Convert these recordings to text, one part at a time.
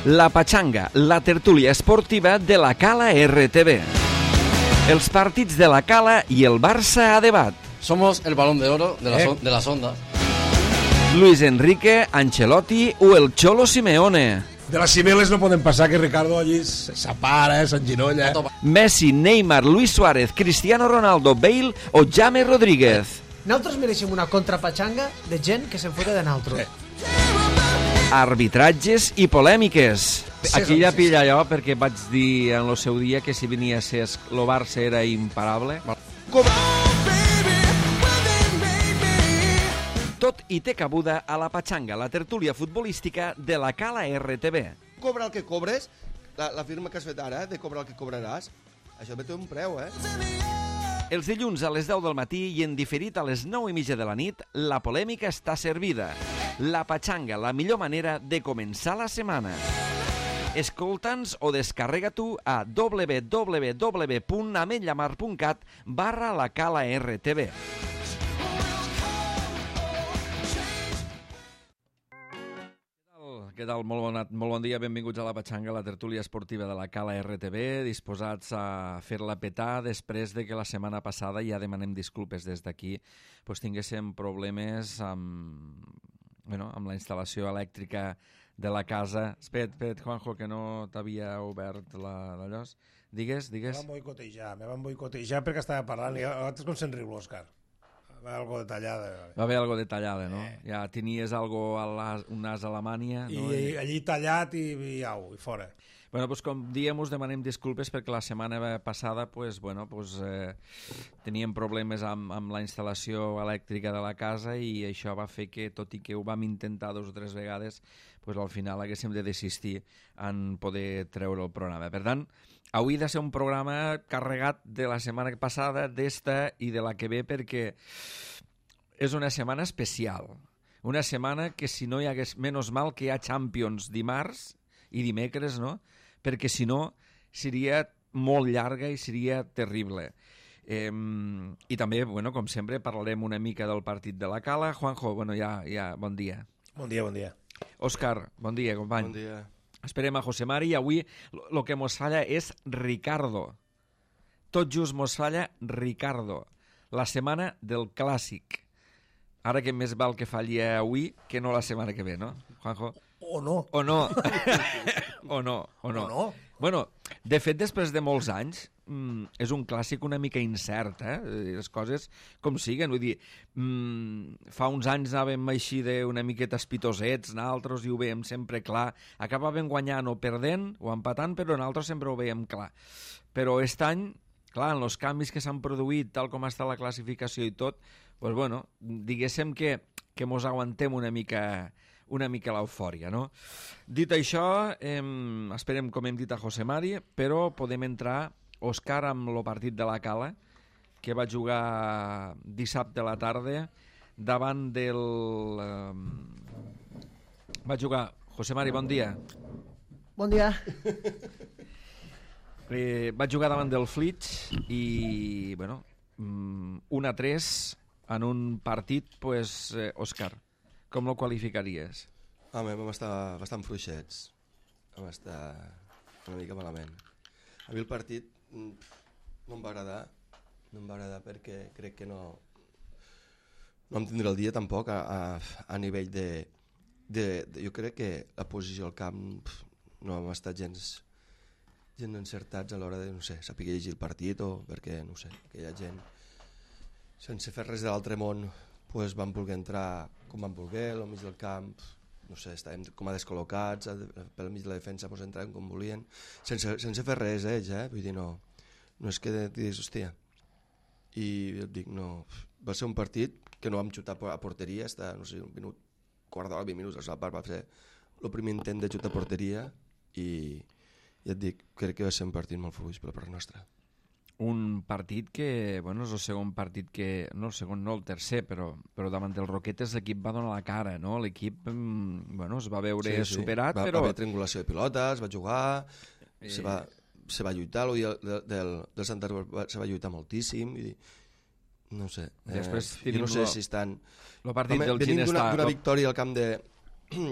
La Pachanga, la tertúlia esportiva de la Cala RTV. Els partits de la Cala i el Barça a debat. Somos el balón de oro de las ondas. Luis Enrique, Ancelotti o el Cholo Simeone. De les cimeles no poden passar, que Ricardo allí s'apara, s'enginolla. Messi, Neymar, Luis Suárez, Cristiano Ronaldo, Bale o James Rodríguez. Nosaltres mereixem una contrapatxanga de gent que se'n fota de nosaltres. Arbitratges i polèmiques. Aquí ja pilla allò perquè vaig dir en el seu dia que si venia a ser el Barça era imparable. Tot i té cabuda a la Pachanga, la tertúlia futbolística de la Cala RTV. Cobra el que cobres, la firma que has fet ara, de cobrar el que cobraràs, això té un preu, Els dilluns a les 10 del matí i en diferit a les 9:30 de la nit, la polèmica està servida. La Pachanga, la millor manera de començar la setmana. Escolta'ns o descarrega tu a www.ametlllamar.cat/la Cala RTV. Què tal? Molt bon dia, benvinguts a la Pachanga, la tertúlia esportiva de la Cala RTV, disposats a fer-la petar després de que la setmana passada, ja demanem disculpes des d'aquí, tinguéssim problemes amb la instal·lació elèctrica de la casa. Espera't, Juanjo, que no t'havia obert d'allò. Digues. Me van boicotejar perquè estava parlant i altres com se'n riu l'Òscar. Va haver algo detallada. Va haver algo detallada, no? Ja tenies un nas a la mània. I allí tallat i au, i fora. Bueno, com diem, us demanem disculpes perquè la setmana passada teníem problemes amb la instal·lació elèctrica de la casa i això va fer que, tot i que ho vam intentar 2 o 3 vegades, al final haguéssim de desistir en poder treure el programa. Per tant, avui ha de ser un programa carregat de la setmana passada, d'esta i de la que ve, perquè és una setmana especial. Una setmana que si no hi hagués... Menys mal que hi ha Champions dimarts i dimecres, no? Perquè si no seria molt llarga i seria terrible. I també, com sempre, parlarem una mica del partit de la Cala. Juanjo, bon dia. Bon dia. Òscar, bon dia, company. Bon dia. Esperem a José Mari i avui el que mos falla és Ricardo. Tot just mos falla Ricardo. La setmana del Clàssic. Ara que més val que falli avui que no la setmana que ve, no, Juanjo? O no. Bueno, de fet, després de molts anys, és un clàssic una mica incert, les coses com siguen. Vull dir, fa uns anys anàvem així d'una miqueta espitosets, nosaltres, i ho veiem sempre clar. Acabàvem guanyant o perdent o empatant, però nosaltres sempre ho veiem clar. Però aquest any, clar, en els canvis que s'han produït, tal com està la classificació i tot, diguéssim que mos aguantem una mica l'eufòria, no? Dit això, esperem, com hem dit, a José Mari, però podem entrar, Òscar, amb el partit de la Cala, que va jugar dissabte a la tarda, davant del... Va jugar... José Mari, bon dia. Bon dia. Va jugar davant del Flix i, 1-3 en un partit, Òscar, com el qualificaries? Home, vam estar bastant fluixets. Vam estar una mica malament. A mi el partit no em va agradar perquè crec que no em tindré el dia tampoc a nivell de... Jo crec que la posició al camp no hem estat gens encertats a l'hora de, saber llegir el partit o perquè, aquella gent sense fer res de l'altre món van voler entrar com van voler, al mig del camp, estàvem com a descol·locats, pel mig de la defensa entraven com volien, sense fer res ells, vull dir, no és que diguis, hòstia, i jo et dic, no, va ser un partit que no vam xutar a porteria, està, un minut, quart d'hora, 20 minuts, va ser el primer intent de xutar a porteria i ja et dic, crec que va ser un partit molt fluix per la part nostra. Un partit que, és el segon partit que... No, el segon no, el tercer, però davant dels Roquetes l'equip va donar la cara, no? L'equip, es va veure superat, però... Va haver triangulació de pilotes, va jugar, se va lluitar, del Santa se va lluitar moltíssim, i no sé. Després jo no sé si estan... El partit del Ginestar... D'una victòria al camp de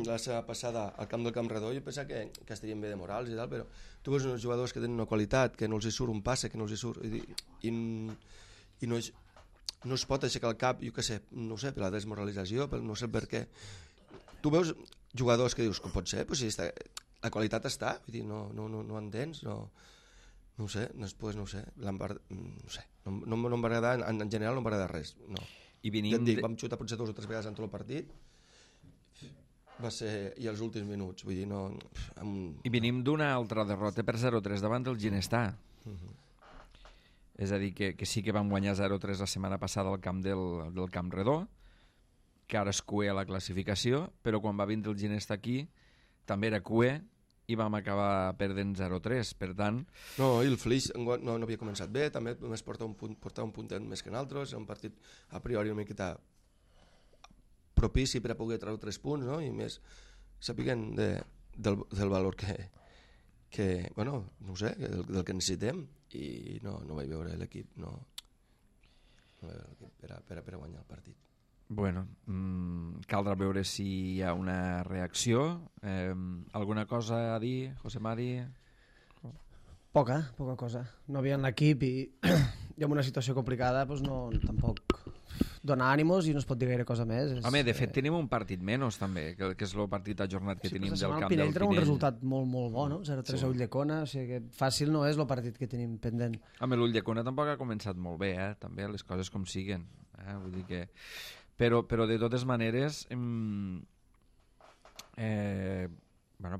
la setmana passada al camp del Camp Redó, jo pensava que estarien bé de morals i tal, però tu veus uns jugadors que tenen una qualitat, que no els hi surt un passe, que no els hi surt, i no es pot aixecar el cap, jo què sé, no sé, per la desmoralització, no sé per què. Tu veus jugadors que dius, com pot ser? Pues si la qualitat està, vull dir, no entens, no ho sé, després no ho sé, no sé, no em va agradar, en general no em va agradar res, no. I Vam xutar potser 2 o 3 vegades en tot el partit, va ser, i els últims minuts, vull dir, no... I venim d'una altra derrota per 0-3 davant del Ginestà. És a dir, que sí que vam guanyar 0-3 la setmana passada al camp del Camp Redó, que ara és cué a la classificació, però quan va vindre el Ginestà aquí també era cué i vam acabar perdent 0-3, per tant... No, i el Flix no havia començat bé, també només portava un puntet més que en altres, era un partit a priori una miqueta propici per a poder treure 3 punts, no? I més sapiguen del valor que bueno, no ho sé, del que necessitem, i no vaig veure l'equip, no vaig veure l'equip per a guanyar el partit. Bueno, caldrà veure si hi ha una reacció. Alguna cosa a dir, José Mari? Poca cosa. No havia en l'equip i amb una situació complicada doncs no, tampoc dona ànimos i no es pot dir gaire cosa més. Home, de fet tenim un partit menys també, que és el partit ajornat que tenim del camp del Pinell. Pinell. Un resultat molt bo, no? 0-3 a Ulldecona, o sigui que fàcil no és el partit que tenim pendent. Home, l'Ulldecona tampoc ha començat molt bé, també les coses com siguen. Vull dir que... Però de totes maneres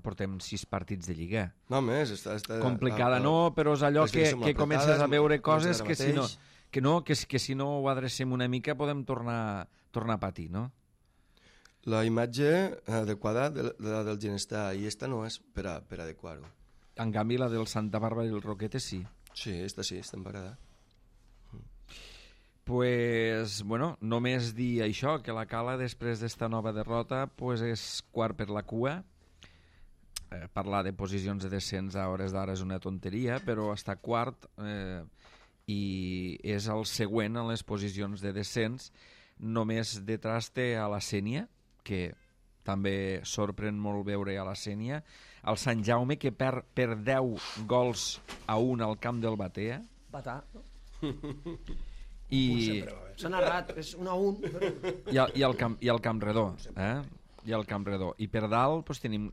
portem 6 partits de Lliga. No més, està complicada no, però és allò que comences a veure coses que si no ho adrecem una mica podem tornar a patir, no? La imatge adequada de la del Ginestà i esta no és per adequar-ho. En canvi la del Santa Bàrbara i el Roquete sí. Sí, esta em va agradar. Pues, bueno, només dir això, que la Cala després d'esta nova derrota pues és quart per la cua. Parlar de posicions de descens a hores d'ara és una tonteria, però està quart i és el següent en les posicions de descens. Només detrás té a la Sénia, que també sorprèn molt veure a la Sénia, el Sant Jaume, que perd per 10 gols a 1 al camp del Batea. Batà. S'ha narrat, és 1-1. I el Camp Redó. I el Camp Redó. I per dalt doncs, tenim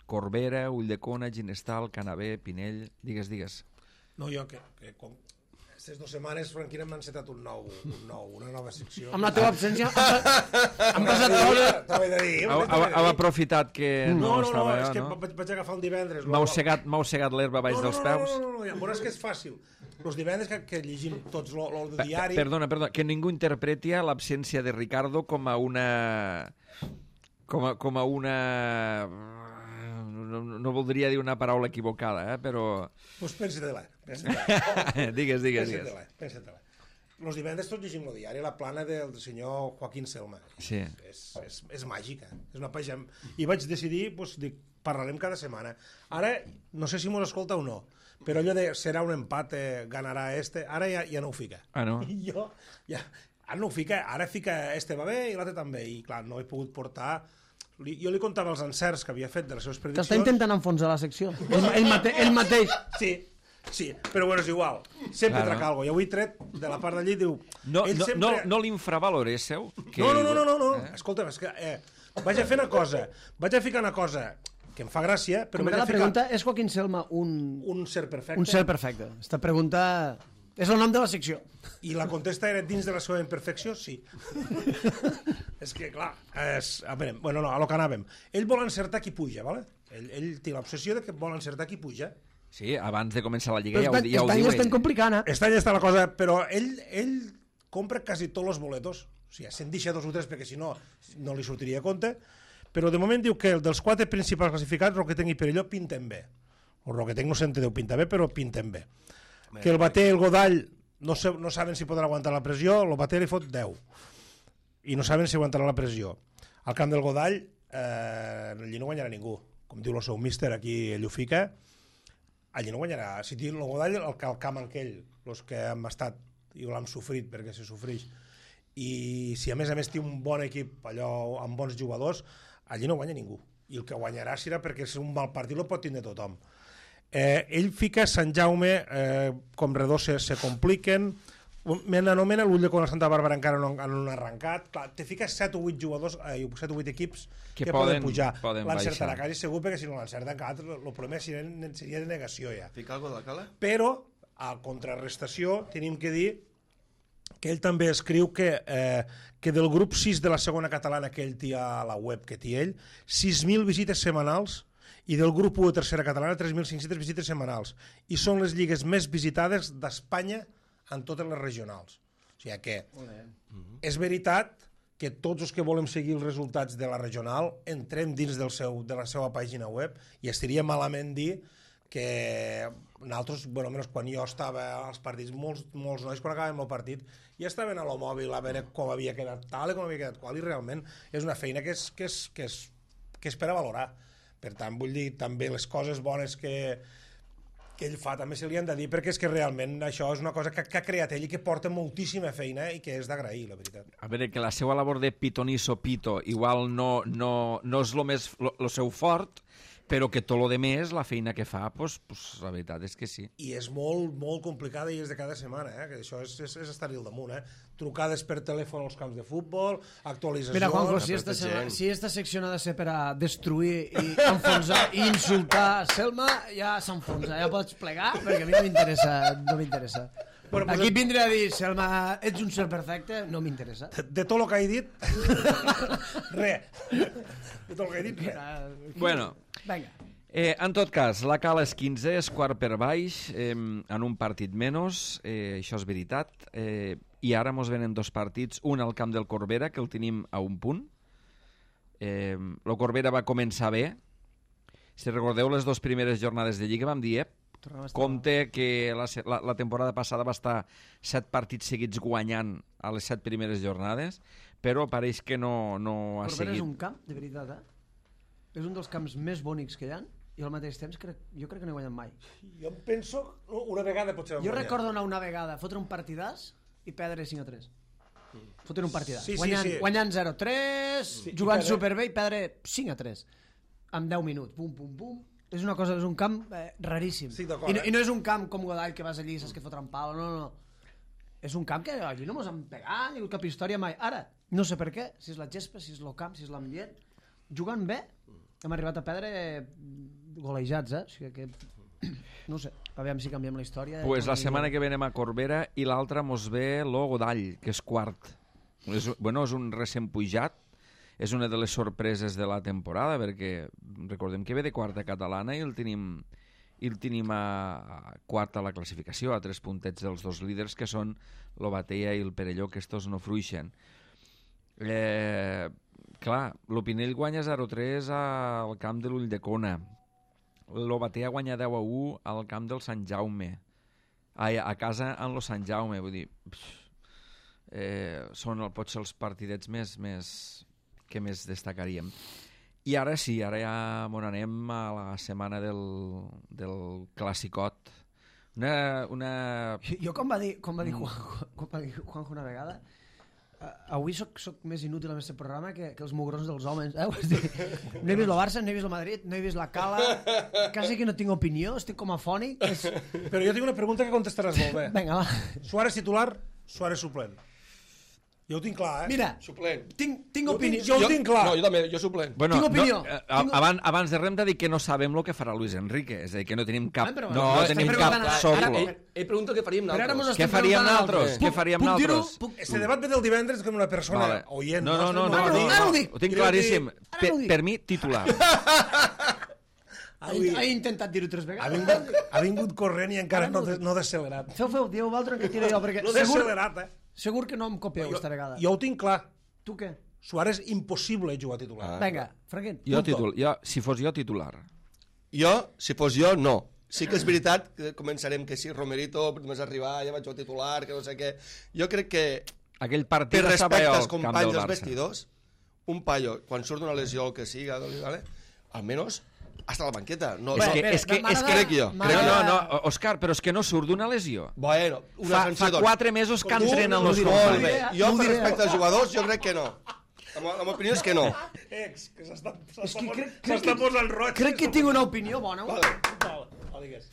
Corbera, Ulldecona, Ginestal, Canavè, Pinell... Digues. No, jo que com aquestes 2 setmanes Franquina m'ha encetat una nova secció. Amb la teva absència han passat coses. T'ho he de dir. Heu aprofitat que no estava... No, és que vaig agafar el divendres. M'heu segat l'herba baix dels peus? No, ja veuràs que és fàcil. Els divendres que llegim tots el diari... Perdona, que ningú interpreti l'absència de Ricardo com a una... No voldria dir una paraula equivocada, però... Doncs pensa-te-la. Digues. Pensa-te-la. Els divendres tots llegim el diari, la plana del senyor Joaquín Selma. Sí. És màgica. És una pàgina... I vaig decidir, parlarem cada setmana. Ara, no sé si mos escolta o no, però allò de serà un empat, ganarà ara ja no ho fica. Ah, no? I jo, ara no ho fica, ara fica va bé i l'altre també. I clar, no he pogut portar... Jo li contava els encerts que havia fet de les seves prediccions. T'està intentant enfonsar la secció. Ell mateix. Sí, però bueno, és igual. Sempre trac algo. I avui tret de la part d'allí diu... No l'infravalorésseu? No. Escolta'm, és que vaig a fer una cosa. Vaig a ficar una cosa que em fa gràcia, però... La pregunta és Joaquín Selma un ser perfecte? Un ser perfecte. Esta pregunta... És el nom de la secció. I la contesta era dins de la seva imperfecció? Sí. És que, clar, a lo que anàvem. Ell vol encertar qui puja, ¿vale? Ell té l'obsessió de que vol encertar qui puja. Sí, abans de començar la Lliga ja ho diu. Aquest any estem complicant, Aquest any està la cosa, però ell compra quasi tots els boletos. O sigui, se'n deixa 2 o 3 perquè si no li sortiria a compte. Però de moment diu que dels 4 principals classificats, Roquetenc i Perelló pinten bé. El Roquetenc no s'entén deu pintar bé, però pinten bé. Que el Bater i el Godall no saben si poden aguantar la pressió, el Bater li fot 10 i no saben si aguantarà la pressió. Al camp del Godall allí no guanyarà ningú, com diu el seu míster, aquí ell ho fica, allí no guanyarà. Si diu el Godall, el camp aquell, els que hem estat i l'hem sofrit perquè se sofreix, i si a més té un bon equip allò amb bons jugadors, allí no guanya ningú. I el que guanyarà serà perquè és un mal partit, el pot tindre tothom. Ell fica Sant Jaume, com redós se compliquen, m'anomena l'ull de quan Santa Bàrbara encara no han arrencat. Clar, te fiques 7 o 8 jugadors, 7 o 8 equips que poden pujar. L'encertarà quasi segur, perquè si no l'encerten, el problema seria de negació ja. Fica alguna cosa de cala? Però, a contrarrestació, tenim que dir que ell també escriu que del grup 6 de la segona catalana que ell té a la web que té ell, 6.000 visites setmanals, i del grup 1 de tercera catalana 3.500 visites setmanals, i són les lligues més visitades d'Espanya en totes les regionals. O sigui que és veritat que tots els que volem seguir els resultats de la regional entrem dins de la seva pàgina web, i estaria malament dir que nosaltres, bueno, almenys quan jo estava als partits, molts nois quan acabàvem el partit ja estaven a lo mòbil a veure com havia quedat tal i com havia quedat qual, i realment és una feina que és per a valorar. Per tant, vull dir, també les coses bones que ell fa també se li han de dir, perquè és que realment això és una cosa que ha creat ell i que porta moltíssima feina i que és d'agrair, la veritat. A veure, que la seva labor de pitonisso pito igual no és el seu fort, però que tot el més, la feina que fa, pues, la veritat és que sí. I és molt, molt complicada i és de cada setmana, que això és estar-hi al damunt. Trucades per telèfon als camps de futbol, actualitzacions... Mira, Juanjo, si esta secció ha de ser per a destruir i enfonsar i insultar Selma, ja s'enfonsa, ja pots plegar, perquè a mi no m'interessa. Bueno, aquí vindré a dir, Selma, ets un ser perfecte, no m'interessa. De tot el que he dit, res. De tot el que he dit, res. Bueno, venga. En tot cas, la Cala és 15, és quart per baix, en un partit menys, això és veritat, i ara mos venen 2 partits, un al camp del Corbera, que el tenim a un punt. El Corbera va començar bé. Si recordeu les 2 primeres jornades de Lliga, vam dir, compte que la temporada passada va estar 7 partits seguits guanyant a les 7 primeres jornades, però pareix que no ha seguit. Corbera és un camp, de veritat, És un dels camps més bonics que hi ha, i al mateix temps jo crec que no he guanyat mai. Jo em penso, una vegada potser vam guanyar. Jo recordo anar una vegada, fotre un partidàs i perdre 5-3. Fotre un partidàs. Guanyant 0-3, jugant superbé i perdre 5-3. En 10 minuts. Pum, pum, pum. És un camp raríssim. Sí, I no és un camp com Godall, que vas allí i saps que fotre un pal. No. És un camp que allí no mos han pegat, ni cap història mai. Ara, no sé per què, si és la gespa, si és el camp, si és l'ambient, jugant bé, hem arribat a perdre golejats, O sigui que, no sé, aviam si canviem la història. Pues la setmana que venem a Corbera i l'altra mos ve lo Godall, que és quart. És un recent pujat, és una de les sorpreses de la temporada, perquè recordem que ve de quarta catalana i el tenim a quarta a la classificació, a 3 puntets dels 2 líders, que són lo Batea i el Perelló, que estos no fruixen. Clar, l'Opinell guanya 0-3 al camp de l'Ulldecona. Lo Batea guanya 10-1 al camp del Sant Jaume. A casa en lo Sant Jaume, vull dir... Són potser els partidets que més destacaríem. I ara sí, ara ja m'on anem a la setmana del Classicot. Jo, com va dir Juanjo una vegada, avui soc més inútil en aquest programa que els mugrons dels homes. No he vist el Barça, no he vist el Madrid, no he vist la Cala, quasi que no tinc opinió, estic com afònic. Però jo tinc una pregunta que contestaràs molt bé. Vinga, va. Suárez titular, Suárez suplent. Jo ho tinc clar, Mira, suplent. Tinc opinió. Jo ho tinc clar. No, jo també, jo suplent. Bueno, tinc opinió. Abans de res hem de dir que no sabem el que farà Luis Enrique, és a dir, que no tenim cap... No tenim cap soplo. Ell pregunta què faríem nosaltres. Què faríem nosaltres? Què faríem nosaltres? Este debat ve del divendres com una persona oient. No, ho tinc claríssim. Per mi, titular. Ha intentat dir-ho 3 vegades. Ha vingut corrent i encara no decelerat. Feu, dieu vosaltres que tiro jo, perquè... No decelerat, Segur que no em copieu aquesta vegada. Jo ho tinc clar. Tu què? Suárez, impossible jugar titular. Vinga, Franquet. Si fos jo, titular. Jo, si fos jo, no. Sí que és veritat que començarem que sí, Romerito, només arribar, ja vaig jugar titular, que no sé què. Jo crec que, aquell partit per respecte als camp companys del dels Barça. vestidors, un paio, quan surt d'una lesió o el que siga, ¿vale? Almenys hasta la banqueta. No, És que crec jo. No, Òscar, però és que no surt d'una lesió. Bueno, una sanció, fa 4 mesos que entrenen els molt companys. bé. Jo, per respecte als jugadors, jo crec que no. La meva opinió és que no. Ex, que És que s'està posant roig. Crec que tinc una opinió bona. Digues.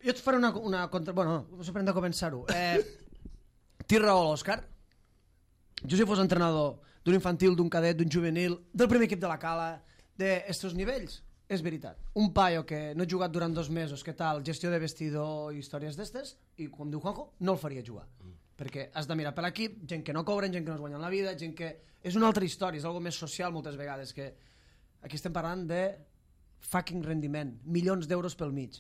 Jo et faré una contra... Bueno, no sé per on de començar-ho. Té raó l'Òscar. Jo si fos entrenador d'un infantil, d'un cadet, d'un juvenil, del primer equip de la Cala, d'estos nivells, és veritat. Un paio que no ha jugat durant 2 mesos, que tal, gestió de vestidor i històries d'estes, i com diu Juanjo, no el faria jugar. Perquè has de mirar per l'equip, gent que no cobren, gent que no es guanyen la vida, gent que... És una altra història, és algo més social moltes vegades, que aquí estem parlant de fucking rendiment, milions d'euros pel mig.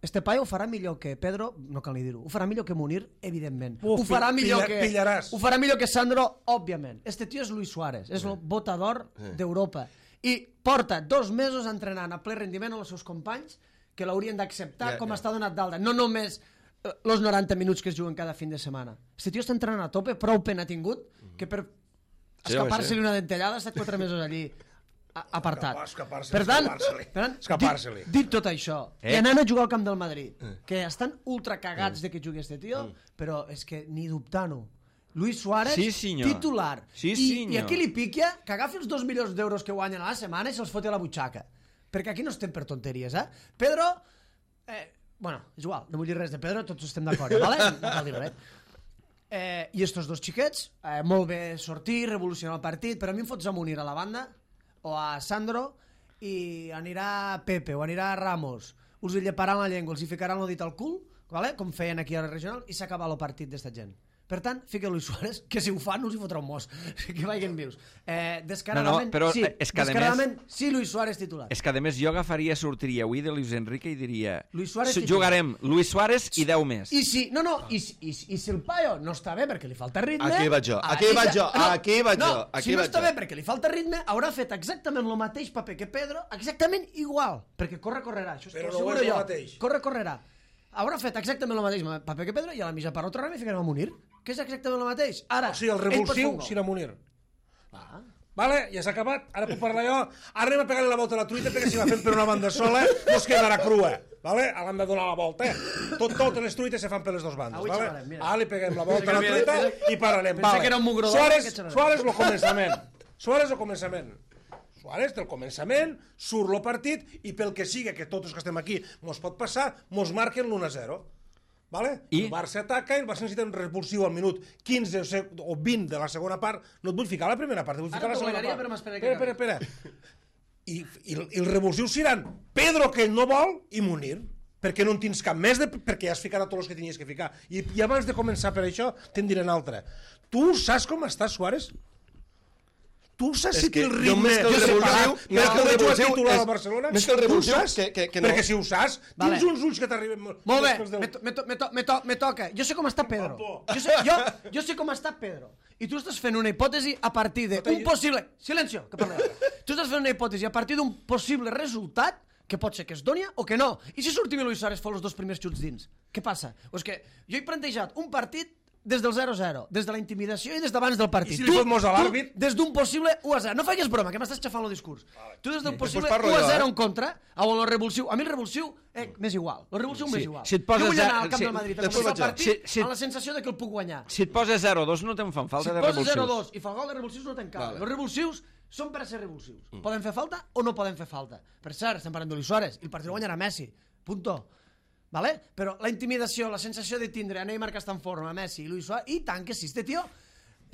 Este paio ho farà millor que Pedro, no cal ni dir-ho, ho farà millor que Munir, evidentment. Ho farà millor que Sandro, òbviament. Este tio és Luis Suárez, és el botador d'Europa. I porta 2 mesos entrenant a ple rendiment amb els seus companys que l'haurien d'acceptar com està donat d'alta. No només els 90 minuts que es juguen cada fin de setmana. Este tio està entrenant a tope, prou pena ha tingut que per escapar-se-li una dentellada ha estat 4 mesos allí apartat. Per tant, dit tot això, i anant a jugar al camp del Madrid, que estan ultra cagats de que jugui este tio, però és que ni dubtant-ho. Luis Suárez, titular. I aquí li piquia que agafi els 2 milions d'euros que guanyen a la setmana i se'ls foti a la butxaca. Perquè aquí no estem per tonteries, Pedro, bueno, és igual, no vull dir res de Pedro, tots estem d'acord, vale? No cal dir res. I estos 2 xiquets, molt bé sortir, revolucionar el partit, però a mi em fots a Munir a la banda, o a Sandro, i anirà Pepe o anirà Ramos, us lleparan la llengua, els hi ficaran el dit al cul, vale? Com feien aquí a la regional, i s'acaba el partit d'esta gent. Per tant, fica Luis Suárez, que si ho fa no us hi fotrà un mos, que vagin vius. Descaradament, sí, Luis Suárez titular. És que a més jo sortiria avui de Luis Enrique i diria jugarem Luis Suárez i 10 més. I si el paio no està bé perquè li falta ritme... Aquí vaig jo. Si no està bé perquè li falta ritme, haurà fet exactament el mateix paper que Pedro, exactament igual, perquè correrà. Però no és el mateix. Correrà. Haurà fet exactament el mateix paper que Pedro i a la mitja part ho tornarem i ficarem a Munir, que és exactament el mateix. Ara, o sigui, el revulsiu serà Munir. Vale, ja s'ha acabat, ara puc parlar jo. Ara anem a pegar-li la volta a la truita perquè si va fent per una banda sola no es quedarà crua. Vale? Ara hem de donar la volta. Totes les truites se fan per les 2 bandes. Vale? Ara li peguem la volta a la truita i pararem. Suárez el començament. Suárez, del començament, surt el partit i pel que sigui, que tots els que estem aquí mos pot passar, mos marquen l'1-0. Vale? El Barça ataca i el Barça necessita un repulsiu al minut 15 o 20 de la segona part. No et vull ficar la primera part, et vull ficar la segona part. Espera. I el revulsiu seran Pedro, que ell no vol, i Munir. Perquè no en tens cap més, perquè ja has ficat a tots els que tenies que ficar. I abans de començar per això, te'n diré un altre. Tu saps com està Suárez? Tu saps si té el ritme més que el titular al Barcelona? Més que el revulsiu, que no. Perquè si ho saps, tens uns ulls que t'arriben... Molt bé, me toca. Jo sé com està Pedro. Jo sé com està Pedro. I tu estàs fent una hipòtesi a partir d'un possible... Silencio, que parlem. Tu estàs fent una hipòtesi a partir d'un possible resultat que pot ser que es doni o que no. I si sortim i Luis Suárez fa els 2 primers xuts dins? Què passa? O és que jo he plantejat un partit des del 0-0, des de la intimidació i des d'abans del partit. I si li fot mos a l'àrbit? Des d'un possible 1-0. No facis broma, que m'estàs xafant el discurs. Tu des d'un possible 1-0 en contra, on el revulsiu... A mi el revulsiu m'és igual. El revulsiu m'és igual. Si et poses... Jo vull anar al camp del Madrid a començar el partit amb la sensació de que el puc guanyar. Si et poses 0-2 no te'n fan falta de revulsius. Si et poses 0-2 i fa el gol de revulsius no te'n cal. Els revulsius són per a ser revulsius. Poden fer falta o no poden fer falta. Per cert, estem parlant de Luis Suárez i el partit el guanyarà Messi. Punto. Vale? Però la intimidació, la sensació de tindre Neymar que està en forma, Messi i Luis Suárez, i tant que sí, este tio,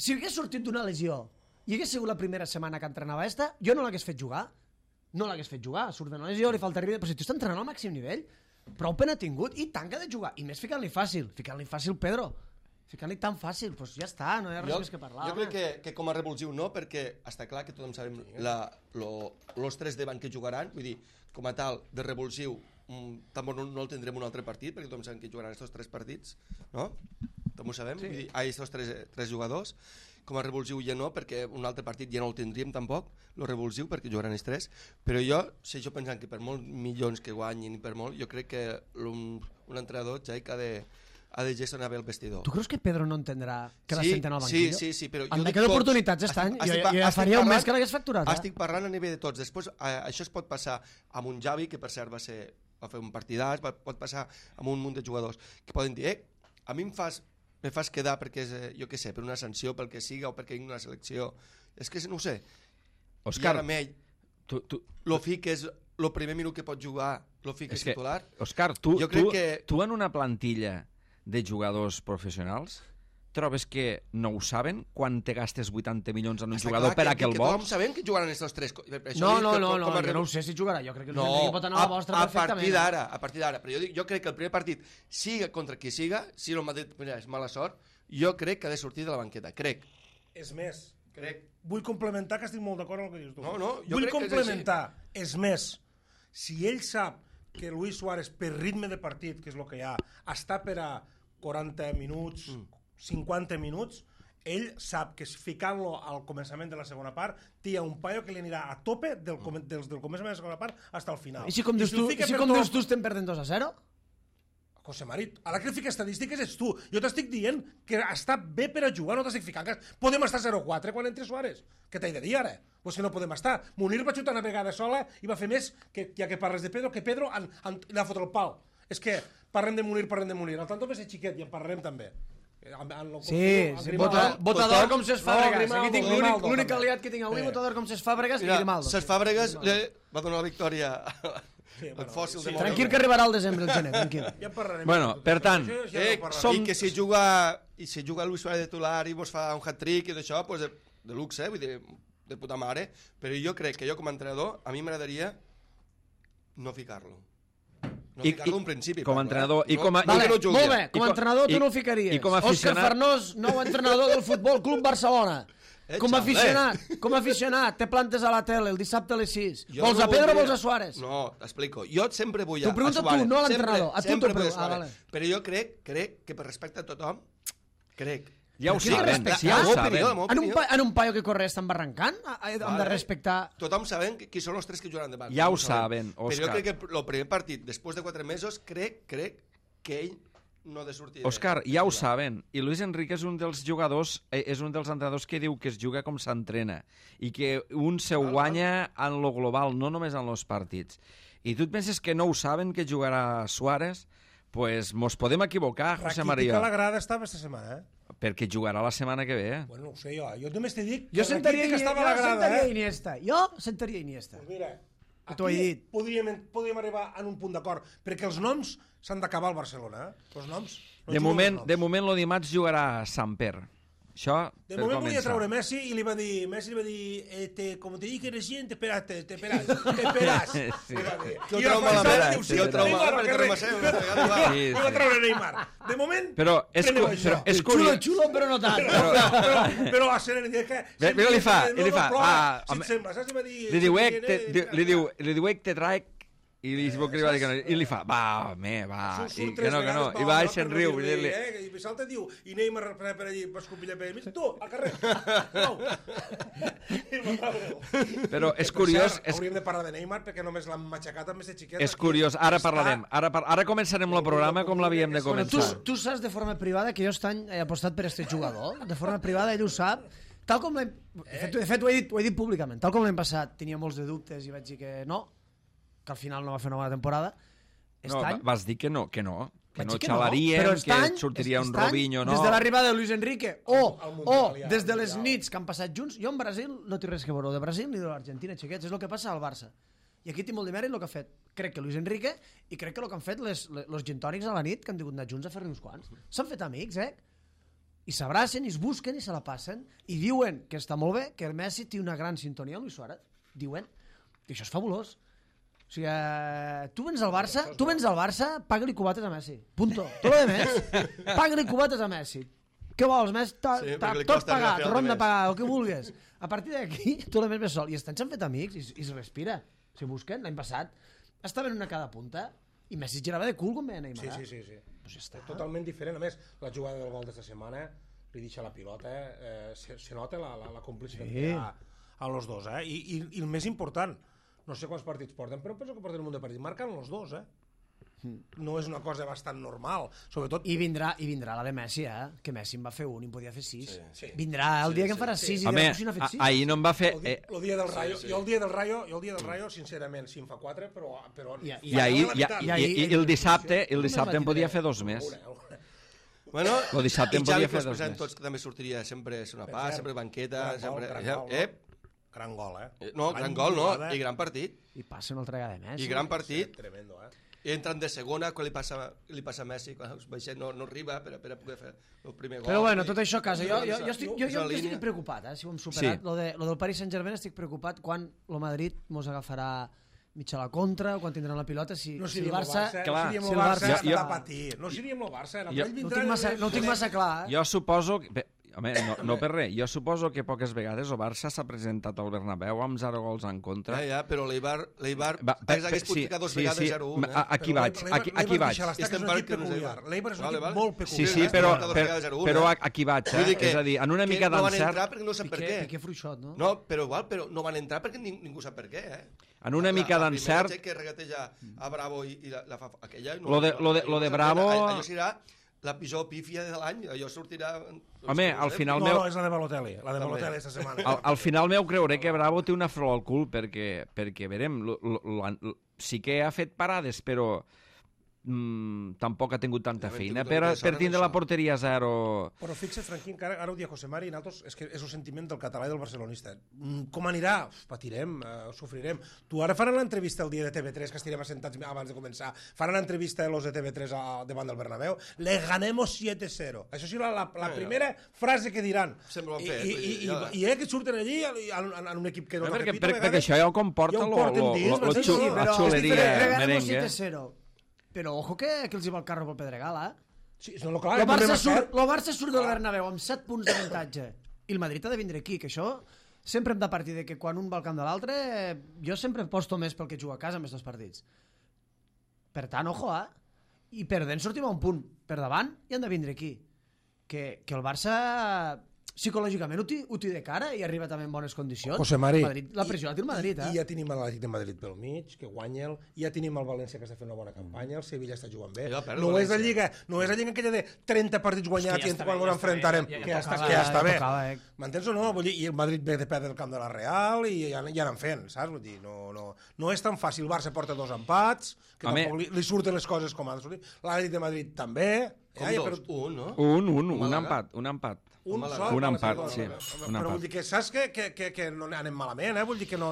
si hagués sortit d'una lesió i hagués sigut la primera setmana que entrenava jo no l'hagués fet jugar. Surt d'una lesió, li falta ritme, però si tu estàs entrenant al màxim nivell, prou pena ha tingut i tant que ha de jugar. I més ficant-li fàcil Pedro. Ficant-li tan fàcil, doncs ja està, no hi ha res més que parlar. Jo crec que com a revulsiu no, perquè està clar que tothom sabem los 3 davant que jugaran, vull dir, com a tal, de revulsiu, tampoc no el tindrem un altre partit, perquè tothom sabem que jugaran aquests 3 partits, no? També ho sabem, vull dir, aquests 3 jugadors. Com a revulsiu ja no, perquè un altre partit ja no el tindríem tampoc, el revulsiu, perquè jugaran els 3, però jo segueixo pensant que per molts milions que guanyin i per molt, jo crec que un entrenador ja ha de gestionar bé el vestidor. Tu creus que Pedro no entendrà que la senten al banquillo? Sí, però... Em quedo oportunitats aquest any, jo ja faria un mes que l'hagués facturat. Estic parlant a nivell de tots. Després, això es pot passar amb un Xavi, que per cert va fer un partidàs, pot passar amb un munt de jugadors, que poden dir, a mi em fas me fas quedar perquè és, jo què sé, per una sanció, pel que siga, o perquè vinc una selecció. És que no ho sé. Òscar, I ara amb ell, lo fiques, el primer minut que pot jugar, lo fiques titular. Òscar, tu en una plantilla de jugadors professionals trobes que no ho saben quan te gastes 80 milions en un jugador per a que el vols? Tothom sabem que jugaran aquests tres. No, jo no ho sé si jugarà. Jo crec que Luis pot anar a la vostra perfectament. A partir d'ara. Però jo crec que el primer partit, siga contra qui siga, si el Madrid és mala sort, jo crec que ha de sortir de la banqueta. Crec. És més, vull complementar, que estic molt d'acord amb el que dius tu. Vull complementar. És més, si ell sap que Luis Suárez, per ritme de partit, que és el que hi ha, està per a 40 minuts, 50 minuts, ell sap que ficant-lo al començament de la segona part té un paio que li anirà a tope del començament de la segona part fins al final. I si com dius tu estem perdent 2-0? José Marit, ara que el fica estadístiques ets tu. Jo t'estic dient que està bé per a jugar, no t'estic ficant. Podem estar 0-4 quan entre Suárez. Què t'he de dir ara? Pues que no podem estar. Munir va xutar una vegada sola i va fer més, que ja que parles de Pedro, que Pedro li ha fotut el pal. És que parlem de Munir. El tant va ser xiquet i en parlarem també. Sí, votador com Cesc Fàbregas. Aquí tinc l'únic aliat que tinc avui, votador com Cesc Fàbregas i Grimaldo. Cesc Fàbregas va donar la victòria al fòssil de Montreal. Tranquil que arribarà al desembre, el gener, tranquil. Bueno, per tant, i que si juga Luis Suárez de titular i vos fa un hat-trick i d'això, pues de luxe, vull dir, de puta mare, però jo crec que jo com a entrenador, a mi m'agradaria no ficar-lo. No ficar-lo en principi. Com a entrenador... Molt bé, com a entrenador tu no ho ficaries. Òscar Farnós, nou entrenador del Futbol Club Barcelona. Com a aficionat, te plantes a la tele el dissabte a les 6. Vols a Pedro o vols a Suárez? No, t'explico. Jo sempre vull a Suárez. T'ho pregunto tu, no a l'entrenador. A tu t'ho pregunto. Però jo crec que per respecte a tothom, crec. Ja ho saben, ja ho saben. En un paio que corre estan barrancant? Hem de respectar... Tothom sabem qui són els tres que jugaran davant. Ja ho saben, Òscar. Però jo crec que el primer partit, després de 4 mesos, crec que ell no ha de sortir... Òscar, ja ho saben. I Luis Enrique és un dels jugadors, és un dels entrenadors que diu que es juga com s'entrena i que un se guanya en lo global, no només en els partits. I tu et penses que no ho saben que jugarà Suárez? Pues mos podem equivocar, José María. Rakitic a la grada estava aquesta setmana, Perquè jugarà la setmana que ve, Bueno, no ho sé jo. Jo només t'he dit que Rakitic estava a la grada, Iniesta. Jo sentaria Iniesta. Pues mira, t'ho he dit. Podríem arribar a un punt d'acord, perquè els noms s'han d'acabar al Barcelona, Els noms. De moment, lo dimarts jugarà Samper. Això, de moment volia treure Messi i li va dir, com te dije recién, te esperas. Sí. Que ho treu malament, que ho treu malament perquè Remaseu. I va treure Neymar. De moment, però és curiós. Xulo, però no tant. Però a ser... Però li fa. Si et sembla, saps? Li diu te traec i li va dir que no, i li fa, va, i que no, i va i se'n riu. I salta i diu, i Neymar per allí, va escopillar per ell, tu, al carrer, Però és curiós... Hauríem de parlar de Neymar perquè només l'han matxacat amb aquest xiquet. És curiós, ara parlarem, ara començarem el programa com l'havíem de començar. Tu saps de forma privada que jo he apostat per aquest jugador, de forma privada ell ho sap, tal com l'hem... De fet, ho he dit públicament, tal com l'hem passat, tenia molts de dubtes i vaig dir que no, que al final no va fer una bona temporada. Vas dir que no xalarien, que sortiria un Robinho, no? Des de l'arribada de Luis Enrique o des de les nits que han passat junts, jo en Brasil no tinc res que veure de Brasil ni de l'Argentina, xiquets, és el que passa al Barça. I aquí tinc molt de mèrit el que ha fet, crec que Luis Enrique, i crec que el que han fet els gintònics a la nit, que han tingut anar junts a fer-ne uns quants. S'han fet amics, i s'abracen, i es busquen, i se la passen, i diuen que està molt bé, que el Messi té una gran sintonia amb Luis Suárez. Diuen que això és fabulós. O sigui, tu vens al Barça, paga-li cubates a Messi. Punto. Tot el més, paga-li cubates a Messi. Què vols, Messi? Tot pagat, ronda pagar, el que vulguis. A partir d'aquí, tot el més ve sol. I s'han fet amics i es respira. Si busquen, l'any passat, estaven una a cada punta i Messi girava de cul com veia Neymar. Sí. Pues ja està. Totalment diferent. A més, la jugada del gol d'esta setmana li deixa la pilota, se nota la complicitat que hi ha a los dos. I el més important, no sé quants partits porten, però penso que porten un munt de partits. Marquen els dos, No és una cosa bastant normal. Sobretot... I vindrà la de Messi, que Messi en va fer un i en podia fer 6. Sí. Vindrà el dia que en farà 6 i dirà, si no ha fet 6. Ahir no en va fer... El dia del Rayo, jo el dia del Rayo, sincerament, si en fa 4, però... I el dissabte en podia fer 2 més. Bueno, Lo dissabte i en Xavi, podia que fer els dos pensem més. tots que també sortiria sempre és una Per pa, cert, sempre banqueta, gran sempre... gol, gran gol, gran gol, No, gran gol, no, jugada. i gran partit. I passa una altra vegada més. I gran partit. Tremendo, I entren de segona, quan li passa a Messi, quan els baixet no arriba per a poder fer el primer gol. Però bueno, tot això a casa. Jo És la línia. estic preocupat, si ho hem superat. Sí. Lo del Paris Saint-Germain estic preocupat quan el Madrid mos agafarà mitja a la contra, o quan tindran la pilota, si No si el seríem el Barça... Barça, clar, no seríem si el el Barça, Barça- està patint. No seríem el Barça. Jo- No ho tinc massa clar, Jo suposo... Home, no per res. Jo suposo que poques vegades el Barça s'ha presentat al Bernabéu amb 0 gols en contra. Ja, però l'Eibar Va, hagués pogut ficar dos vegades 0-1. Aquí vaig. Estem un per equip que no és peculiar. L'Eibar és un Vale, equip vale. molt Sí, peculiar. sí, Estem però aquí vaig, Vull dir És a dir, en una mica no van d'encert... entrar perquè no sap per què. Piqué Fruixot, no? No, però no van entrar perquè ningú sap per què, En una mica d'encert... La primera que regateja a Bravo i la fa aquella... Lo de Bravo- Allò serà la pitjor pífia de l'any, allò sortirà... Home, al final No, meu... no, és la de Balotelli. La de Balotelli esta setmana. Al final meu creuré que Bravo té una flor al cul perquè verem, sí que ha fet parades, però tampoc ha tingut tanta Ja, feina tingut una per tindre això. la porteria a 0. Però fixa't, Franquín, que ara ho dia José Mari, nosaltres, és que és el sentiment del català i del barcelonista. Com anirà? Patirem, sofrirem. Tu ara faran l'entrevista el dia de TV3, que estirem assentats abans de començar, faran l'entrevista de los de TV3 davant del Bernabéu, le ganemos 7-0. Això serà la primera frase que diran. Sempre ho han fet, I que surten allí en un equip que no Perquè això ja ho comporta ja ho porten dins, la sí, xuleria Regalemos merengue. 7-0. Però ojo que els hi va el carro pel Pedregal, Sí, no, clar, El Barça surt del Bernabéu amb 7 punts d'avantatge i el Madrid ha de vindre aquí, que això sempre hem de partir de que quan un va al camp de l'altre jo sempre posto més pel que juga a casa més dels partits. Per tant, ojo, i perdent sortim a un punt per davant i han de vindre aquí. Que el Barça psicològicament ho té de cara i arriba també en bones condicions. José Mari, Madrid, la pressió la té el Madrid, I ja tenim l'Atlètic de Madrid pel mig, que guanya ja tenim el València, que està fent una bona campanya, el Sevilla està jugant bé. No és la Lliga aquella de 30 partits guanyats i quan ens enfrontarem, que ja està bé. M'entens o no? Vull dir, i el Madrid ve de perdre el camp de la Real i ja anem fent, saps? Vull dir, no és tan fàcil. El Barça porta 2 empats, que tampoc li surten les coses com han de sortir. L'Atlètic de Madrid també. Com dos? Un, no? Un empat. Un empat, sí. Però vull dir que saps que no anem malament, vull dir que no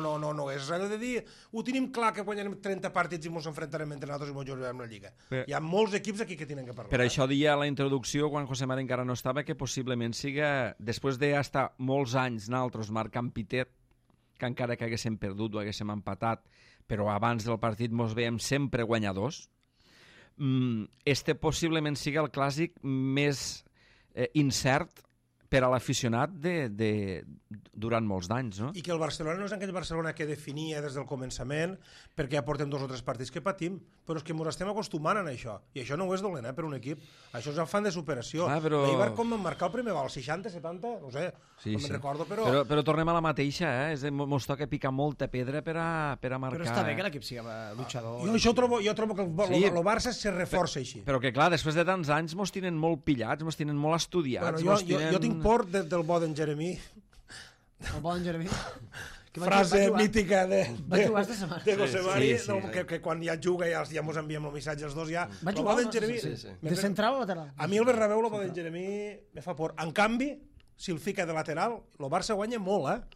és res de dir ho tenim clar que guanyarem 30 partits i ens enfrontarem entre nosaltres i ens jugarem la Lliga. Hi ha molts equips aquí que tenen que parlar. Per això deia a la introducció, quan José Mari encara no estava, que possiblement siga, després d'estar molts anys naltros marcant pitet, que encara que haguéssim perdut o haguéssim empatat, però abans del partit mos veiem sempre guanyadors, este possiblement siga el clàssic més incert per a l'aficionat durant molts d'anys, no? I que el Barcelona no és aquell Barcelona que definia des del començament, perquè ja portem 2 o 3 partits que patim, però és que ens estem acostumant a això, i això no ho és dolent, per un equip. Això és afany de superació. Però... L'Eibar com van marcar el primer gol, 60, 70, no sé, no me'n recordo, però... Però tornem a la mateixa, Ens toca picar molta pedra per a marcar... Però està bé que l'equip sigui luchador. Jo trobo que el Barça se reforça així. Però que, clar, després de tants anys mos tenen molt pillats, mos tenen molt estudiats... Bueno, jo tinc por del bo d'en Jeremí. El bon Jeremí. Frase mítica de José Mari, que quan ja juga ja ens enviem el missatge els dos ja. Va jugar, de central o lateral? A mi el Bernabéu, el bo d'en Jeremí, me fa por. En canvi, si el fica de lateral, el Barça guanya molt,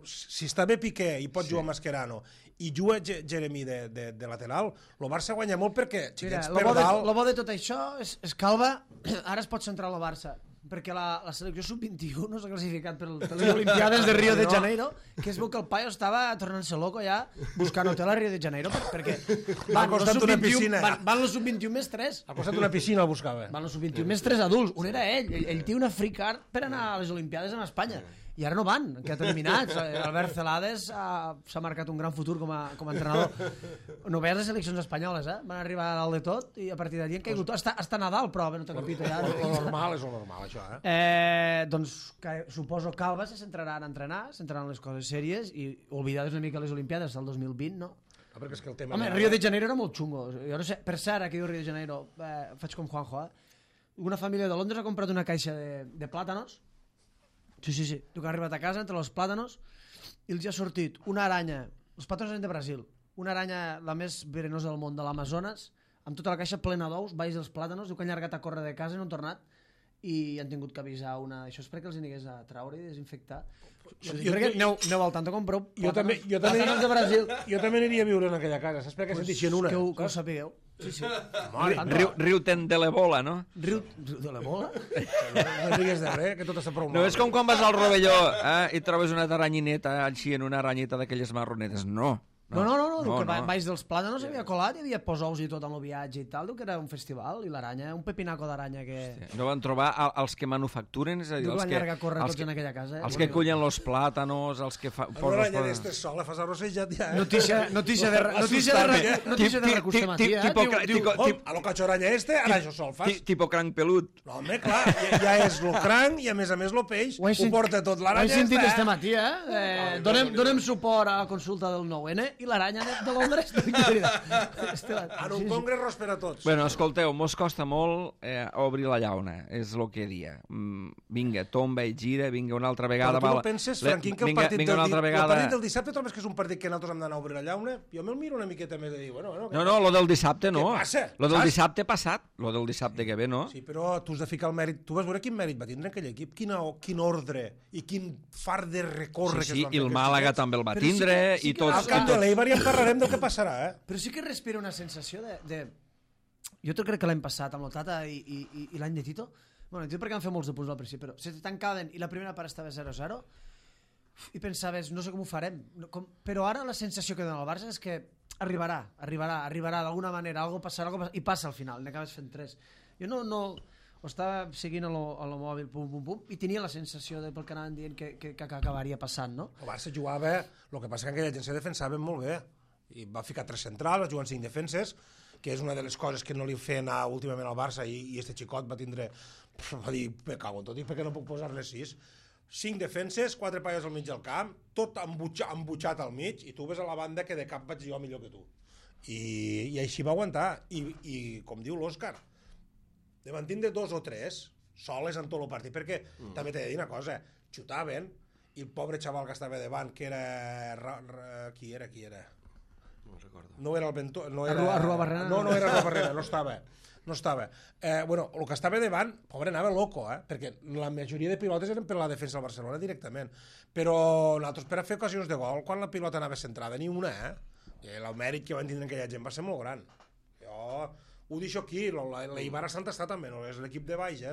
Si està bé Piqué i pot jugar Mascherano i juga Jeremí de lateral, el Barça guanya molt perquè xiquets per dalt... El bo de tot això és que Alba ara es pot centrar el Barça, perquè la selecció sub-21 no s'ha classificat per les Olimpiades de Rio de Janeiro, que es veu que el paio estava tornant-se loco ja buscant hotel a Rio de Janeiro, perquè van los sub-21 més 3. Al costat d'una piscina el buscava. Van los sub-21 més 3 adults. Un era ell té una free card per anar a les Olimpiades en Espanya. I ara no van, han quedat eliminats. Albert Celades s'ha marcat un gran futur com a entrenador. No veies les seleccions espanyoles, Van arribar a dalt de tot i a partir d'allí han caigut. Hasta Nadal, però no t'ho capito ja. Lo normal és lo normal, això, Doncs suposo que Alba se centrarà en entrenar, centraran les coses sèries i oblidades una mica les Olimpiades del 2020, no? Perquè és que el tema... Home, Rio de Janeiro era molt xungo. Jo no sé, per cert, que diu Rio de Janeiro, faig com Juanjo, Una família de Londres ha comprat una caixa de plàtanos. Sí. Tu que has arribat a casa entre els plàtanos i els ha sortit una aranya, els plàtanos eren de Brasil, una aranya la més verenosa del món, de l'Amazones, amb tota la caixa plena d'ous, baix dels plàtanos, diu que han llargat a córrer de casa i no han tornat, i han tingut que avisar una... Això és perquè els anigués a traure i desinfectar. Perquè aneu al tanto, compreu plàtanos de Brasil. Jo també aniria a viure en aquella casa, saps per què sentixen una? Que ho sapigueu. Sí, sí. Riu-te'n de l'ebola, no? Riu de l'ebola? No digues de res, que tot està prou mal. No és com quan vas al Rovelló i trobes una aranyineta així en una aranyeta d'aquelles marronetes. No. No, que baix dels plàtanos havia colat, hi havia posous i tot en el viatge i tal, diu que era un festival, i l'aranya, un pepinaco d'aranya que... Hòstia, no van trobar els que manufacturen, és a dir, diu que van llargar a córrer tots en aquella casa. Els que cullen los plàtanos, els que... Una aranya d'estes sola, fas arrossejat ja, Notícia de recurs de matí, a lo cacho aranya ara això sol fas. Tipo cranc pelut. No, home, clar, ja és lo cranc i a més lo peix, ho porta tot l'aranya. Ho he sentit este matí, Donem suport a la consulta del 9N i l'aranya de Londres. En un congrés ros per a tots. Bueno, escolteu, mos costa molt obrir la llauna, és el que dia. Vinga, tomba i gira, vinga una altra vegada. Però tu no penses, Franquín, que el partit del dissabte trobes que és un partit que nosaltres hem d'anar a obrir la llauna? Jo me'l miro una miqueta més de dir, bueno... No, lo del dissabte no. Què passa? Lo del dissabte passat, lo del dissabte que ve, no? Sí, però tu has de ficar el mèrit. Tu vas veure quin mèrit va tindre aquell equip, quin ordre i quin far de recórrer que es van fer. Sí, i el Màlaga també el va tindre i tots... Al camp de l'Eibar ja en parlarem del que passarà, Però sí que respira una sensació de... Jo crec que l'any passat amb el Tata i l'any de Tito, bueno, Tito perquè van fer molts de punts al principi, però se tancaven i la primera part estava 0-0 i pensaves, no sé com ho farem, però ara la sensació que dona el Barça és que arribarà d'alguna manera, algo passarà, i passa al final, n'acabes fent 3. Jo no ho estava seguint a lo mòbil, pum, i tenia la sensació pel que anaven dient que acabaria passant, no? El Barça jugava, el que passa que aquella gent se defensava molt bé, i va ficar 3 centrals, va jugar en 5 defenses, que és una de les coses que no li feien últimament al Barça, i este xicot va tindre, va dir, me cago en tot, i per què no puc posar-ne 6? 5 defenses, 4 paies al mig del camp, tot embutxat al mig, i tu ves a la banda que de cap vaig jo millor que tu. I així va aguantar, i com diu l'Òscar, de van tindre 2 o 3 soles en tot el partit, perquè també t'he de dir una cosa, xutaven, i el pobre xaval que estava davant, que era... Qui era? No era el Bentó... Arrua Barrena? No era Arrua Barrena, no estava. Bueno, el que estava davant, pobre, anava loco, perquè la majoria de pilotes eren per la defensa del Barcelona directament. Però nosaltres per a fer ocasions de gol, quan la pilota anava centrada, ni una, I el mèrit que van tindre aquella gent va ser molt gran. Jo ho deixo aquí, l'Eibar a Sant està també, no és l'equip de baix,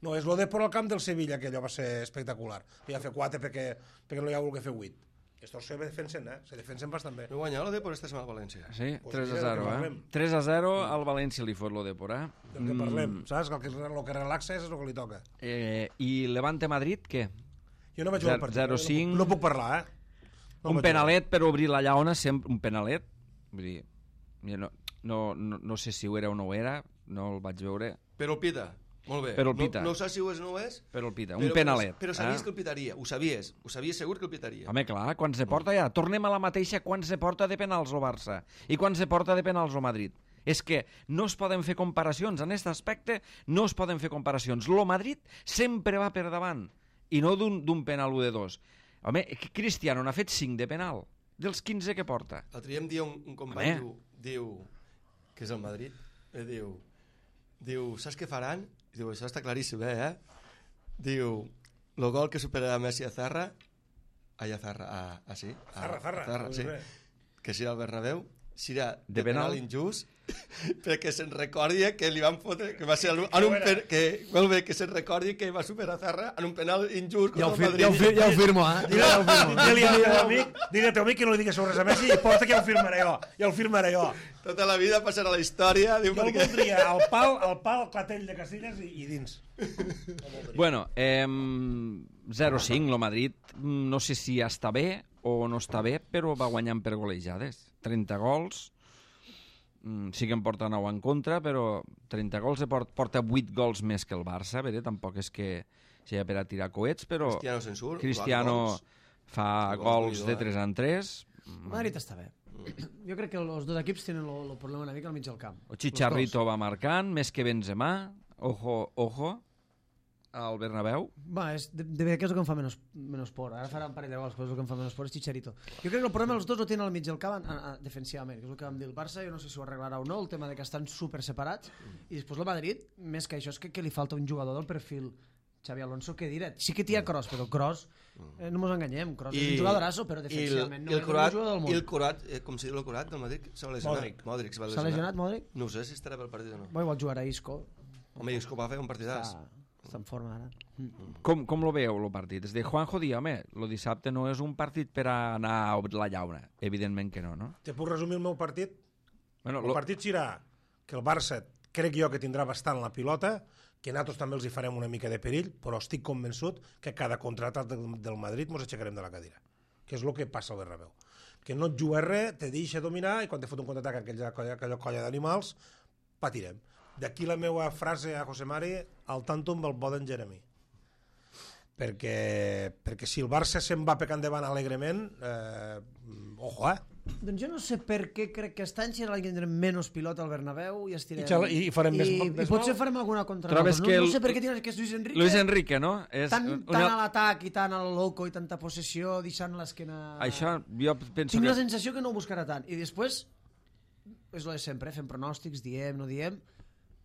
no és lo de por al camp del Sevilla, que allò va ser espectacular. Ja fer 4 perquè no hi ha volgut fer 8. Estos se defensen, se defensen bastant bé. No guanyar l'Odepor esta setmana al València. Sí, 3-0, 3-0 al València li fot l'Odepor, Del que parlem, saps? El que relaxa és el que li toca. I Levante-Madrid, què? Jo no vaig jugar al partit. 0-5. No puc parlar, Un penalet per obrir la llauna, sempre un penalet. Vull dir, no sé si ho era o no ho era, no el vaig veure. Però el pita. Molt bé. Però el pita. No saps si ho és o no ho és. Però el pita, un penalet. Però sabies que el pitaria, ho sabies segur que el pitaria. Home, clar, quan se porta ja, tornem a la mateixa quan se porta de penals el Barça i quan se porta de penals el Madrid. És que no es poden fer comparacions, en aquest aspecte no es poden fer comparacions. Lo Madrid sempre va per davant i no d'un penal 1 de 2. Home, Cristiano n'ha fet 5 de penal, dels 15 que porta. L'altre dia em dia un company, diu, que és el Madrid, diu, saps què faran? Diu, això està claríssim, Diu, el gol que supera Messi a Zarra, Zarra, sí, que serà el Bernabéu, serà de penal injust, perquè se'n recordi que li van fotre, que va ser que se'n recordi que va superar Zarra en un penal injust contra el Madrid. Ja ho firmo, Dile a teu amic que no li digues sobre res a Messi i porta que ja ho firmaré jo. Tota la vida passarà a la història. Jo voldria el pal, el clatell de Casillas i dins. Bueno, 0-5, el Madrid no sé si està bé o no està bé, però va guanyant per golejades. 30 gols, sí que en porta 9 en contra, però 30 gols porta 8 gols més que el Barça, tampoc és que sigui per a tirar coets, però Cristiano fa gols de 3 en 3. Madrid està bé. Jo crec que els dos equips tenen el problema una mica al mig del camp. El Chicharrito va marcant, més que Benzema, ojo, al Bernabéu. Va, de veritat que és el que em fa menys por. Ara farà un parell de gols, però és el que em fa menys por, és Chicharito. Jo crec que el problema els dos ho tenen al mig del camp defensivament, que és el que vam dir el Barça, jo no sé si ho arreglarà o no, el tema de que estan super separats, i després el Madrid, més que això, és que li falta un jugador del perfil Xavi Alonso, que diré, sí que té Kroos, però Kroos, no mos enganyem, Kroos és un jugadorasso, però defensivament no és el jugador del món. I el Curat, com si diu el Curat del Madrid, s'ha lesionat. Modric. S'ha lesionat Modric? No sé si estarà pel partit o no. Igual jugarà Isco. Home, Isco va fer un partidàs. Està en forma ara. Com lo veieu, el partit? És de Juanjo dir, home, el dissabte no és un partit per a anar a la llauna. Evidentment que no, no? Te puc resumir el meu partit? Bueno, El partit serà que el Barça crec jo que tindrà bastant la pilota, que nosaltres també els hi farem una mica de perill, però estic convençut que cada contraatac del Madrid ens aixecarem de la cadira, que és el que passa al Bernabéu. Que no et jugues res, te deixa dominar i quan te fot un contraatac aquella colla d'animals, patirem. D'aquí la meva frase a José Mari, al tanto amb el bo d'en Jeremy. Perquè si el Barça se'n va pecant endavant alegrement, ojo, Doncs jo no sé per què crec que aquest any serà l'any que tindrem menys pilota al Bernabéu i estirem... I farem més I potser farem alguna contra Trobes que no sé per què tindràs que és Luis Enrique. Luis Enrique, no? És tant a l'atac i tant al loco i tanta possessió, deixant l'esquena... Això jo penso Tinc la sensació que no ho buscarà tant. I després, és el de sempre, fem pronòstics, diem, no diem...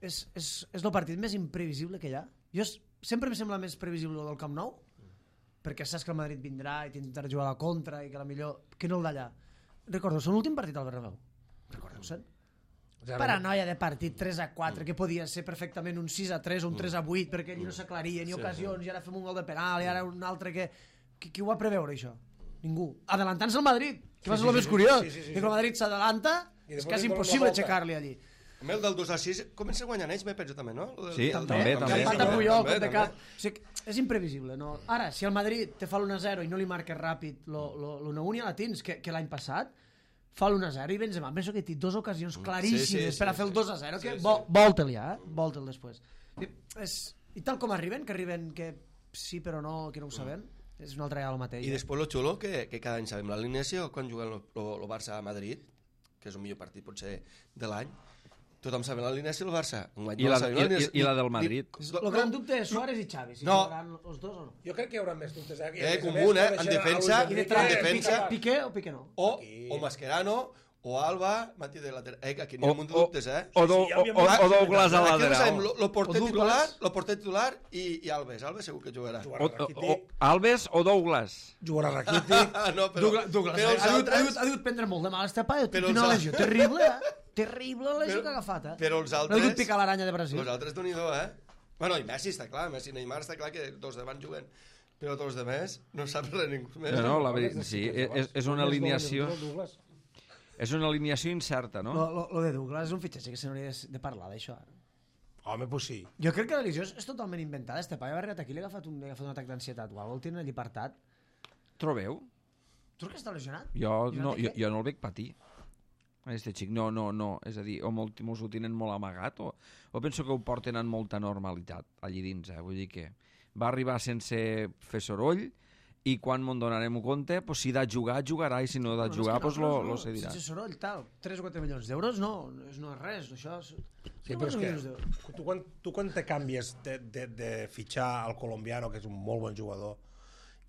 És el partit més imprevisible que hi ha. Sempre em sembla més previsible del Camp Nou, perquè saps que el Madrid vindrà i t'intentarà jugar a la contra i que la millor... que no el d'allà. Recordo, són l'últim partit al Bernabéu. Recordeu-se'n? Paranoia de partit 3-4, que podia ser perfectament un 6-3 o un 3-8, perquè allí no s'aclaria ni ocasions, i ara fem un gol de penal, i ara un altre que... Qui ho va preveure, això? Ningú. Adelantant-se al Madrid, que va ser el més curiós. Que el Madrid s'adelanta, és quasi impossible aixecar-li allí. A el del 2-6 comença guanyant ells, m'he penso també, no? Sí, també. Empat a Puyol, cop de cap. O sigui, és imprevisible, no? Ara, si el Madrid te fa l'1-0 i no li marques ràpid l'1-1, ja la tens, que l'any passat fa l'1-0 i Benzema, penso que té dues ocasions claríssimes per a fer el 2-0, que volta-li, volta-el després. I tal com arriben, que sí però no, que no ho sabem, és una altra vegada el mateix. I després lo xulo, que cada any sabem l'alineació, quan juguen el Barça a Madrid, que és el millor partit potser de l'any, tothom sabe l'alineació del Barça. I la del Madrid. El gran dubte és Suárez i Xavi, si jugaran els dos o no. Jo crec que hi haurà més dubtes. Comú, en defensa. Piqué o Piqué no? O Mascherano, o Alba, Mati de lateral. Aquí n'hi ha un munt de dubtes, O Douglas a lateral. Lo porter titular i Alves. Alves segur que jugarà. Alves o Douglas. Jugarà Rakitic. Douglas ha dut prendre molt de mal este pa, té una lesió terrible, terrible la lesió que ha agafat. Però els altres... No ha dut picar l'aranya de Brasil. Els altres d'un-i-do, Bueno, i Messi està clar, Messi i Neymar està clar que dos davant juguen, però tots de més no sap res ningú més. No, la veritat, sí, és una alineació... És una alineació incerta, no? Lo de Douglas és un fitxatge que se n'hauria de parlar d'això. Home, pues sí. Jo crec que la lesió és totalment inventada. Este paio ha arribat aquí i li ha agafat un atac d'ansietat o alguna cosa, el tenen allí apartat. Trobeu? Tu que està lesionat? Jo no el veig patir. Este xic, no. És a dir, o molts ho tenen molt amagat, o penso que ho porten amb molta normalitat allí dins, Vull dir que va arribar sense fer soroll, i quan me'n donarem compte, pues, si de jugar, jugarà, i si no de jugar, pues lo cedirà. Sense soroll, tal, 3 o 4 milions d'euros no és res, això... Sí, però és que tu quan te canvies de fitxar al colombiano, que és un molt bon jugador,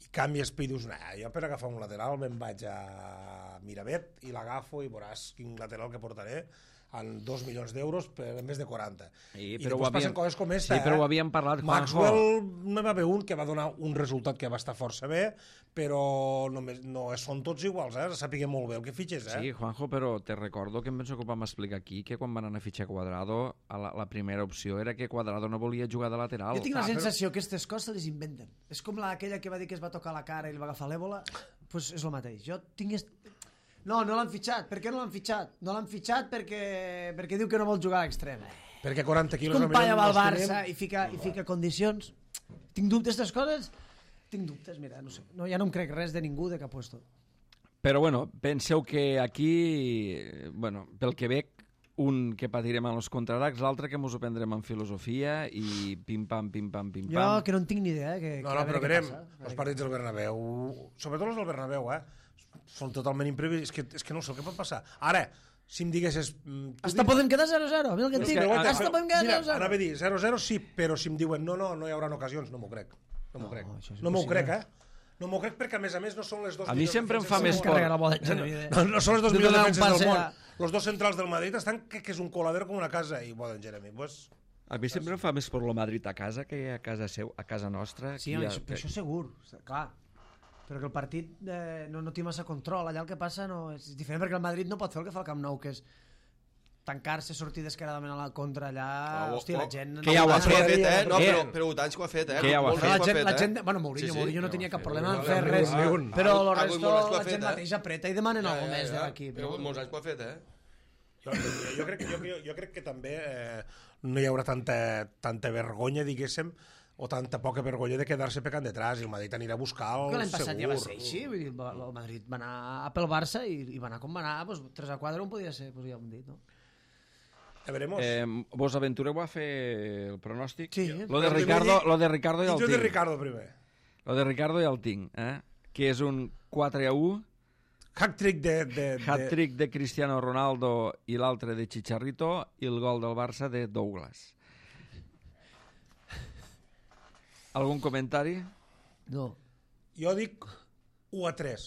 i canvies i dius, jo per agafar un lateral me'n vaig a Miravet i l'agafo i veuràs quin lateral que portaré, amb 2 milions d'euros per més de 40. I després passen coses com esta. Sí, però ho havíem parlat, Juanjo. Maxwell no va haver un que va donar un resultat que va estar força bé, però no són tots iguals, sapiguem molt bé el que fitxes. Sí, Juanjo, però te recordo que em penso que ho vam explicar aquí, que quan van anar a fitxar Cuadrado, la primera opció era que Cuadrado no volia jugar de lateral. Jo tinc la sensació que aquestes coses se les inventen. És com aquella que va dir que es va tocar la cara i li va agafar l'èbola, doncs és el mateix. Jo tinc... No l'han fitxat. Per què no l'han fitxat? No l'han fitxat perquè diu que no vol jugar a l'extrem. Perquè 40 quilos... Com Palla va al Barça i fica condicions. Tinc dubtes d'aquestes coses? Tinc dubtes, mira, no sé. Ja no em crec res de ningú de cap puesto. Però bueno, penseu que aquí, pel que veig, un que patirem en els contraatacs, l'altre que ens ho prendrem en filosofia i pim-pam, pim-pam, pim-pam. Jo que no en tinc ni idea. No, però verem els partits del Bernabéu, sobretot els del Bernabéu, són totalment imprevisibles. És que no sé el que pot passar. Ara, si em diguessis... Hasta podem quedar 0-0, mira el que et dic. Hasta podem quedar 0-0. Anava a dir 0-0 sí, però si em diuen no hi haurà ocasions, no m'ho crec. No m'ho crec. No m'ho crec, No m'ho crec perquè, a més, no són les dos... A mi sempre em fa més por. por. No són les dos millors defenses del món. Els dos centrals del Madrid estan que és un coladero com una casa, i Boden Jeremy, pues... A mi sempre em fa més por lo Madrid a casa que a casa seu, a casa nostra. Sí, per això segur, clar. Però que el partit no té massa control. Allà el que passa és diferent, perquè el Madrid no pot fer el que fa el Camp Nou, que és tancar-se, sortir descaradament a la contra allà... Hòstia, la gent... Que ja ho ha fet, No, però Botanys que ho ha fet, Que ja ho ha fet. La gent... Bueno, Mourinho no tenia cap problema en fer res, però el resto la gent mateix apreta i demanen alguna més de l'equip. Però molts anys que ho ha fet, Jo crec que també no hi haurà tanta vergonya, diguéssim, o tanta poca vergonya de quedar-se pecant detrás, i el Madrid anirà a buscar el L'any passat segur. ja va ser així, vull dir, el Madrid va anar pel Barça i va anar com va anar, 3-4 on podia ser, ja ho hem dit, no? Ja veremos. Vos aventureu a fer el pronòstic? Sí. Lo de Ricardo ja el Jo de tinc. Ricardo primer. Lo de Ricardo ja el tinc, que és un 4-1, Hat-trick de... hat-trick de Cristiano Ronaldo i l'altre de Chicharito, i el gol del Barça de Douglas. Algun comentari? No. Jo dic 1-3.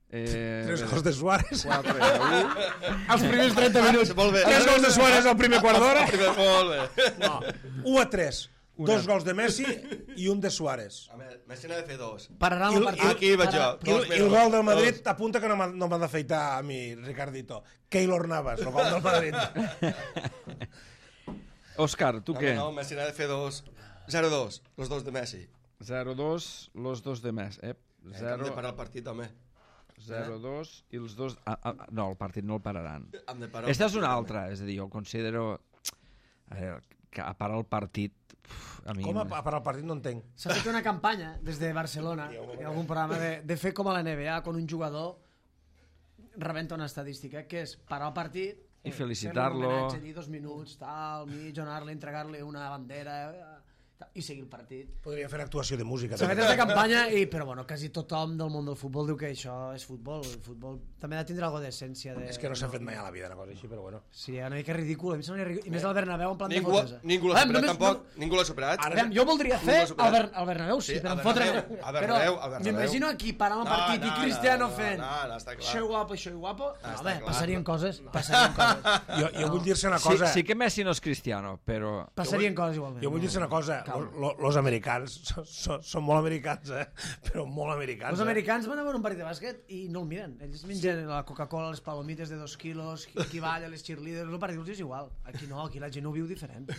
3 gols de Suárez. 4-1. Els primers 30 minuts. Molt bé. 3 gols de Suárez al primer quart d'hora. Molt bé. No, 1-3. 2 gols de Messi i un de Suárez. A veure, Messi n'ha de fer 2. Pararan el partit. Aquí vaig jo. I el gol del Madrid apunta que no m'ha d'afeitar a mi, Ricardito. Keylor Navas, el gol del Madrid. Òscar, tu què? No, Messi n'ha de fer 2. 0-2, los dos de Messi. 0-2, los dos de més. Hem de parar el partit, home. 0-2 i els dos... no, el partit no el pararan. Hem de parar Esta és una altra, és a dir, jo considero... A veure, que a parar el partit... A mi... Com a parar el partit no entenc. S'ha fet una campanya des de Barcelona, en algun programa, de fer com a la NBA, quan un jugador rebenta una estadística, que és parar el partit i felicitar-lo, fer-li un homenatge, dir 2 minuts, tal, mig, donar-li, entregar-li una bandera i seguir el partit. Podria fer actuació de música. S'ha fet aquesta campanya, però bueno, quasi tothom del món del futbol diu que això és futbol. El futbol també ha de tindre alguna d'essència. És que no s'ha fet mai a la vida una cosa així, però bueno. Sí, una mica ridícul. A mi sembla ridícul. I més al Bernabéu en plan de fotos. Ningú l'ha superat, tampoc. Ningú l'ha superat. Jo voldria fer al Bernabéu, sí, però em fotre... Però m'imagino aquí parant el partit i Cristiano fent això i guapo. No, passarien coses. Jo vull dir-se una cosa... Sí que Messi no és Cristiano, però... Passarien coses igualment. Jo vull dir-se una cosa. Los americans són molt americans, però molt americans. Els americans van a veure un partit de bàsquet i no el miren. Ells mengen la Coca-Cola, les palomites de 2 quilos, qui balla, les cheerleaders, el partit és igual. Aquí no, aquí la gent ho viu diferent.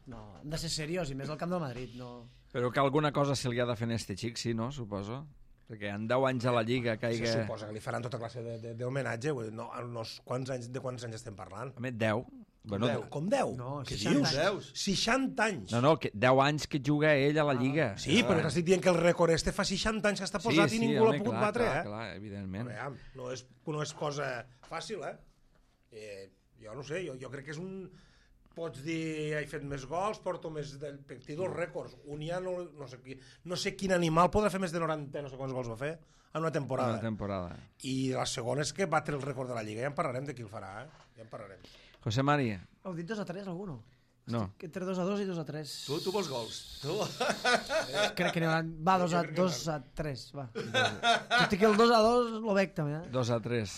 No, hem de ser seriós, i més al camp del Madrid. No. Però que alguna cosa se li ha de fer a este xic, sí, no? Suposo. Perquè en 10 anys a la Lliga caiga... Se suposa que li faran tota classe d'homenatge. De quants anys estem parlant? A més, 10. Bueno, 10. Com 10? No, què 60 dius? 60 anys. No, 10 anys que juga ell a la Lliga. Sí, però t'estic dient que el rècord este fa 60 anys que està posat i ningú l'ha pogut batre. Clar, evidentment. No és cosa fàcil, jo no sé, jo crec que és un... Pots dir, he fet més gols, porto més... Tinc dos rècords. Un ja no sé quin animal podrà fer més de 90, no sé quants gols va fer, en una temporada. I la segona és que batre el rècord de la Lliga. Ja en parlarem de qui el farà, Ja en parlarem. José Mari. Heu dit 2-3, algú no? No. Estic entre 2-2 i 2-3. Tu vols gols? Crec que n'hi haurà... Va, 2-3, va. Tot i que el 2-2 lo veig també, 2-3.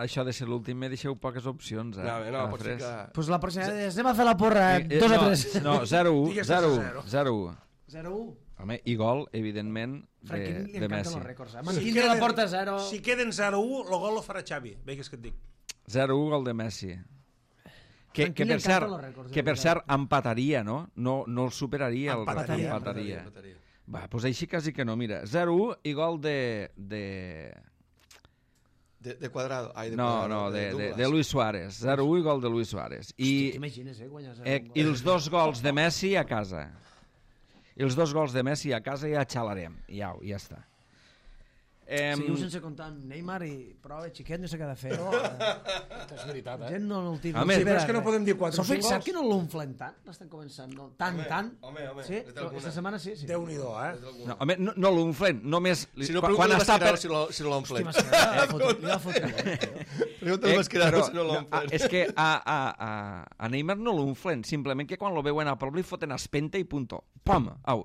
Això de ser l'últim me deixeu poques opcions. No, pot ser que... Pues la pròxima vegada anem a fer la porra, 2-3. No, 0-1. 0-1. 0-1. Home, i gol, evidentment, de Messi. Mantindre la porta 0. Si queden 0-1, el gol lo farà Xavi. Veig que et dic. 0-1, gol de Messi. Que per cert empataria, no? No el superaria. Empataria. Va, doncs així quasi que no, mira. 0-1 i gol de Cuadrado. De Luis Suárez. 0-1 i gol de Luis Suárez. T'imagines, guanyar 0-1. I els 2 gols de Messi a casa. I els 2 gols de Messi a casa ja xalarem. Ja està. Seguiu sense comptar amb Neymar i prova, xiquet, no sé què ha de fer. És veritat, Gent no el tira. Home, però és que no podem dir 4 o S'ho 5 fixat gols. que no l'unflen tant? L'estan començant, no? Tant. Home, Sí? és alguna. Esta setmana sí. Déu-n'hi-do, No, home, no l'unflen, només... Si no, quan està per... si no l'omple. Hòstia, li va fotre. Pregunta al Mascherano si no no, l'omple. és que a Neymar no l'unflen, simplement que quan lo veuen a prop li foten espenta i punto. Pam, au.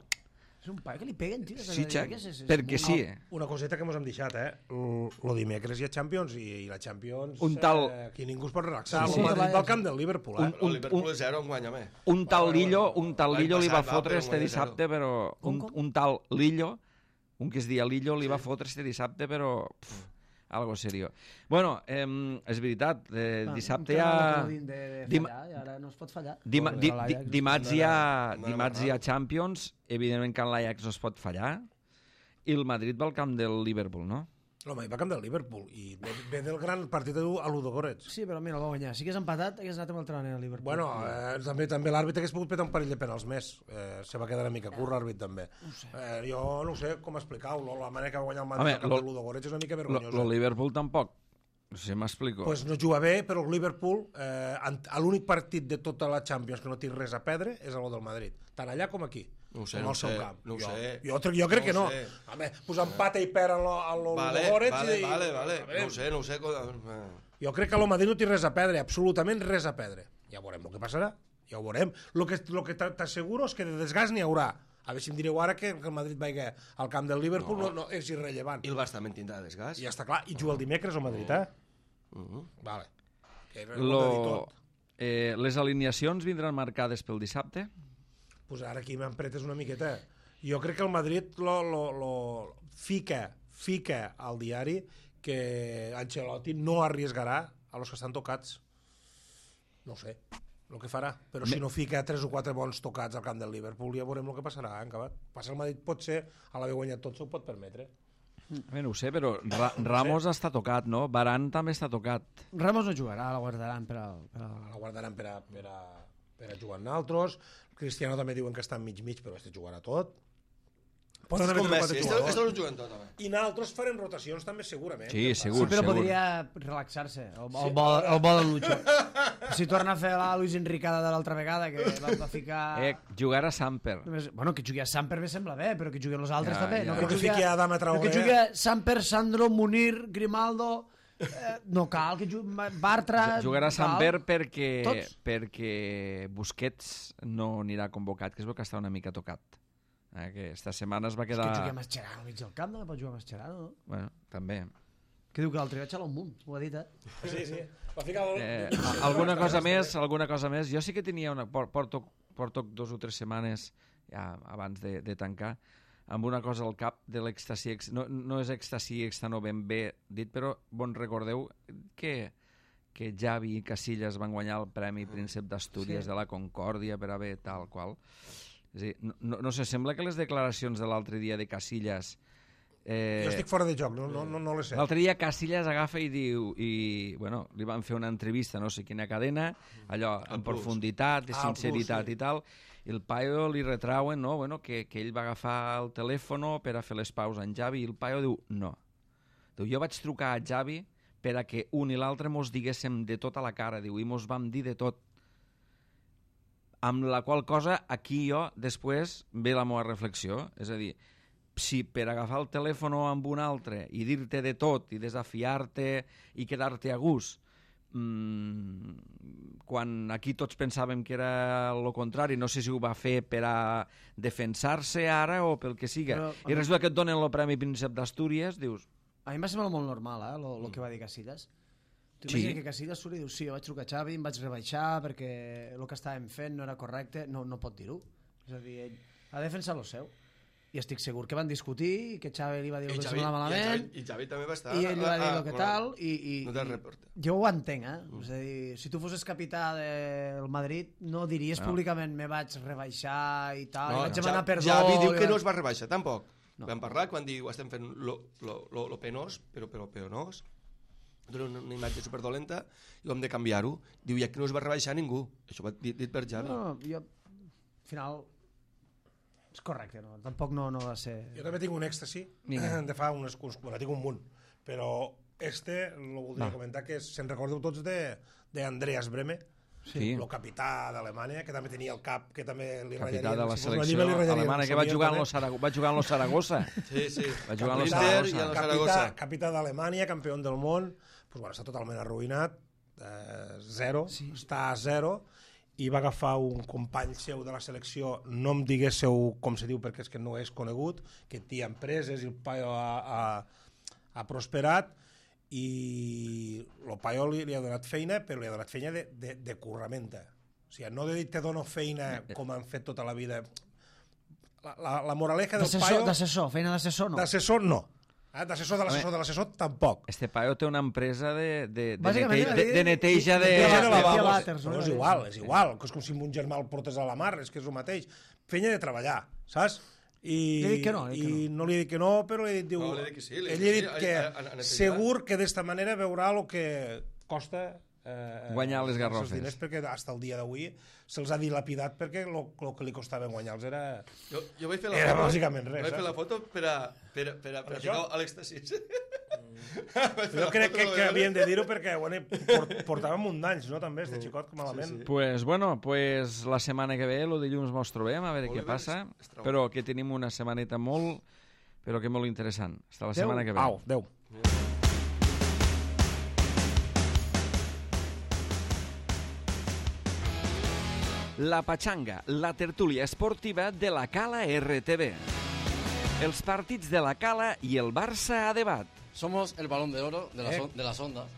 És un paio que li peguen, tio. Sí, Xac, perquè sí. Una coseta que mos hem deixat, Lo dimecres hi ha Champions i la Champions... Un tal- Aquí ningú es pot relaxar. Sí, Sí, sí. el Madrid va al camp del Liverpool, El Liverpool és 0 enguany, home. Un tal Lillo li va passat, fotre però este guanya dissabte, però... Un tal Lillo, un que es dia Lillo, li va fotre este dissabte, però... Algo serio. Bueno, és veritat, dissabte hi ha... Ara no es pot fallar. Dimarts hi ha Champions, evidentment que en l'Ajax no es pot fallar, i el Madrid va al camp del Liverpool, no? L'home hi va al camp del Liverpool i ve del gran partit a Ludogorets. Sí, però mira, el va guanyar. Si hagués empatat, hagués anat amb el trener al Liverpool. Bueno, també l'àrbit hagués pogut petar un parell de penals més. Se va quedar una mica curt l'àrbit també. Jo no sé com explicar-ho. La manera que va guanyar el Madrid al camp del Ludogorets és una mica vergonyosa. El Liverpool tampoc. No sé, m'explico. Pues no juga bé, però el Liverpool, l'únic partit de tota la Champions que no té res a perdre és el del Madrid. Tant allà com aquí. No ho sé, com no al seu ho sé, camp. no ho sé. Jo crec que no. No ho sé. Home, pues empata i perd a l'Ologorets. Vale. No ho sé. Jo crec que el Madrid no té res a perdre, absolutament res a perdre. Ja veurem el que passarà. Ja ho veurem. Lo que t'asseguro és que de desgast n'hi haurà. A veure si em direu ara que el Madrid vagi al camp del Liverpool no és irrellevant. I el Barça també tindrà desgast. I ja està clar. I juga el dimecres al Madrid, Vale. Que ho hem de dir tot. Les alineacions vindran marcades pel dissabte? Pues ara aquí m'empretes una miqueta. Jo crec que el Madrid lo fica al diari que Ancelotti no arriesgarà a los que estan tocats. No sé el que farà, però si no fica 3 o 4 bons tocats al camp del Liverpool ja veurem el que passarà, acabat. Passa el Madrid, potser a l'haver guanyat tot s'ho pot permetre. No ho sé, però Ramos està tocat, no? Varane també està tocat. Ramos no jugarà, la guardaran per al... La guardaran per a jugar amb altres. Cristiano també diuen que està mig, però este jugarà tot. Poden haver trobat jugadors. Esto no juguen tot, home. I nosaltres farem rotacions també segurament. Sí, segur, Sí, però segur. podria relaxar-se, el bo del Lucho. Si torna a fer la Luis Enricada de l'altra vegada, que va ficar... Jugar a Samper. Bueno, que jugui a Samper me sembla bé, però que jugui els altres Ja, també. ja. No, Però que fiqui a Adama Traoré. Que jugui a Samper, Sandro, Munir, Grimaldo... no cal que jugui Bartra... Jugarà a Samper Tots. perquè Busquets no anirà convocat, que es veu que està una mica tocat. Que esta setmana es va És que quedar... jugui a Mascherano al mig del camp, no pot jugar a Mascherano, no? Bueno, també. Que diu que l'altre vaig a l'Omunt, ho ha dit, Sí. Va ficar Alguna cosa més. Jo sí que tenia porto 2 o 3 setmanes ja, abans de tancar amb una cosa al cap de l'èxtasi. No és èxtasi no ben bé dit, però bon recordeu que Xavi i Casillas van guanyar el Premi Príncep d'Astúries de la Concòrdia per haver tal qual. És a dir, no sé, sembla que les declaracions de l'altre dia de Casillas... Jo estic fora de joc, no les sé. L'altre dia Casillas agafa i diu... Bueno, li van fer una entrevista, no sé quina cadena, allò en profunditat, de sinceritat i tal, i el paio li retrauen, no? Bueno, que ell va agafar el telèfon per a fer les pauses en Xavi, i el paio diu, no. Diu, jo vaig trucar a Xavi per a que un i l'altre mos diguéssim de tot a la cara, diu, i mos vam dir de tot. Amb la qual cosa, aquí jo, després, ve la meva reflexió, és a dir, si per agafar el telèfon amb un altre i dir-te de tot i desafiar-te i quedar-te a gust, quan aquí tots pensàvem que era el contrari, no sé si ho va fer per a defensar-se ara o pel que siga, i resulta que et donen el Premi Príncep d'Astúries, dius... A mi em va semblar molt normal, el que va dir Casillas. Tu imagina que Casillas surt i diu, sí, jo vaig trucar a Xavi, em vaig rebaixar perquè el que estàvem fent no era correcte, no pot dir-ho. És a dir, ell ha de defensar el seu. I estic segur que van discutir i que Xavi li va dir el que semblava malament I Xavi també va estar... i ell li va dir el que tal No te'l reporta. jo ho entenc, És a dir, si tu fosses capità del Madrid no diries públicament me vaig rebaixar i tal, i vaig demanar perdó. Xavi diu que no es va rebaixar tampoc. Vam parlar quan diu estem fent lo penós, però penós, dona una imatge superdolenta i ho hem de canviar-ho. Diu, ja que no es va rebaixar ningú. Això va dit per Xavi. No, jo al final És correcte, no? Tampoc no va ser... Jo també tinc un èxtasi de fa unes... Bueno, tinc un munt, però lo voldria comentar, que se'n recordeu tots d'Andreas Brehme, el capità d'Alemanya, que també tenia el cap, que també li rallaria... Capità de la selecció alemana, que va jugar en lo Saragossa. Sí. Va jugar en lo Saragossa. Saragossa. Capità d'Alemanya, campió del món, pues, bueno, està totalment arruïnat, zero, està a zero, i va agafar un company seu de la selecció, no em diguéssiu com se diu perquè és que no és conegut, que té empreses i el paio ha prosperat, i el paio li ha donat feina, però li ha donat feina de curramenta. O sigui, no de dir te dono feina com han fet tota la vida. La moraleja del paio... D'assessor, feina d'assessor no. D'assessor no. D'assessor de l'assessor tampoc. Este paio té una empresa de neteja de lavabos. No, és igual. És com si un germà el portés a la mar, és que és el mateix. Feina de treballar, saps? I no li he dit que no, però li he dit... No, li he dit que sí. Ell li ha dit que segur que d'esta manera veurà el que costa guanyar les garrofes. Els diners, perquè fins al dia d'avui se'ls ha dilapidat perquè el que li costava guanyar-los era... Jo vaig fer la foto, bàsicament res. Vaig fer la foto per a ficar a l'èxtasis. Jo crec que havíem de dir-ho perquè portàvem un d'anys, no, també, este xicot, malament. Pues la setmana que ve, el dilluns mos trobem, a veure què passa, però que tenim una setmaneta molt interessant. Hasta la setmana que ve. Adéu. La Pachanga, la tertúlia esportiva de la Cala RTV. Els partits de la Cala i el Barça a debat. Somos el balón de oro de las ondas.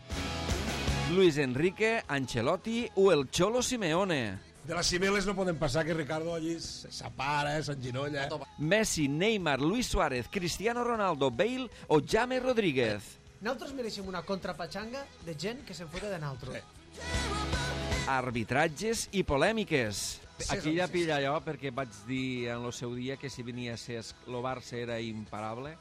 Luis Enrique, Ancelotti o el Cholo Simeone. De les cimeles no poden passar, que Ricardo allí s'apara, s'enginolla. Messi, Neymar, Luis Suárez, Cristiano Ronaldo, Bale o James Rodríguez. Nosaltres mereixem una contrapatxanga de gent que se'n fota de nosaltres. Arbitratges i polèmiques. Aquí ja pilla allò, perquè vaig dir en el seu dia que si venia a ser el Barça era imparable.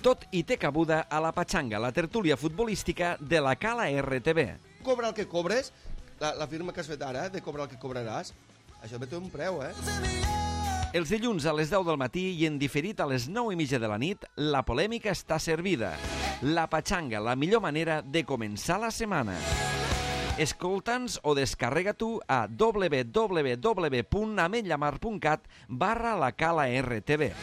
Tot i té cabuda a la Pachanga, la tertúlia futbolística de la Cala RTV. Cobra el que cobres, la firma que has fet ara, de cobrar el que cobraràs, això té un preu, Els dilluns a les 10 del matí i en diferit a les 9:30 de la nit, la polèmica està servida. La Pachanga, la millor manera de començar la setmana. Escolta'ns o descarrega-t'ho a www.ametllamar.cat/la Cala RTV.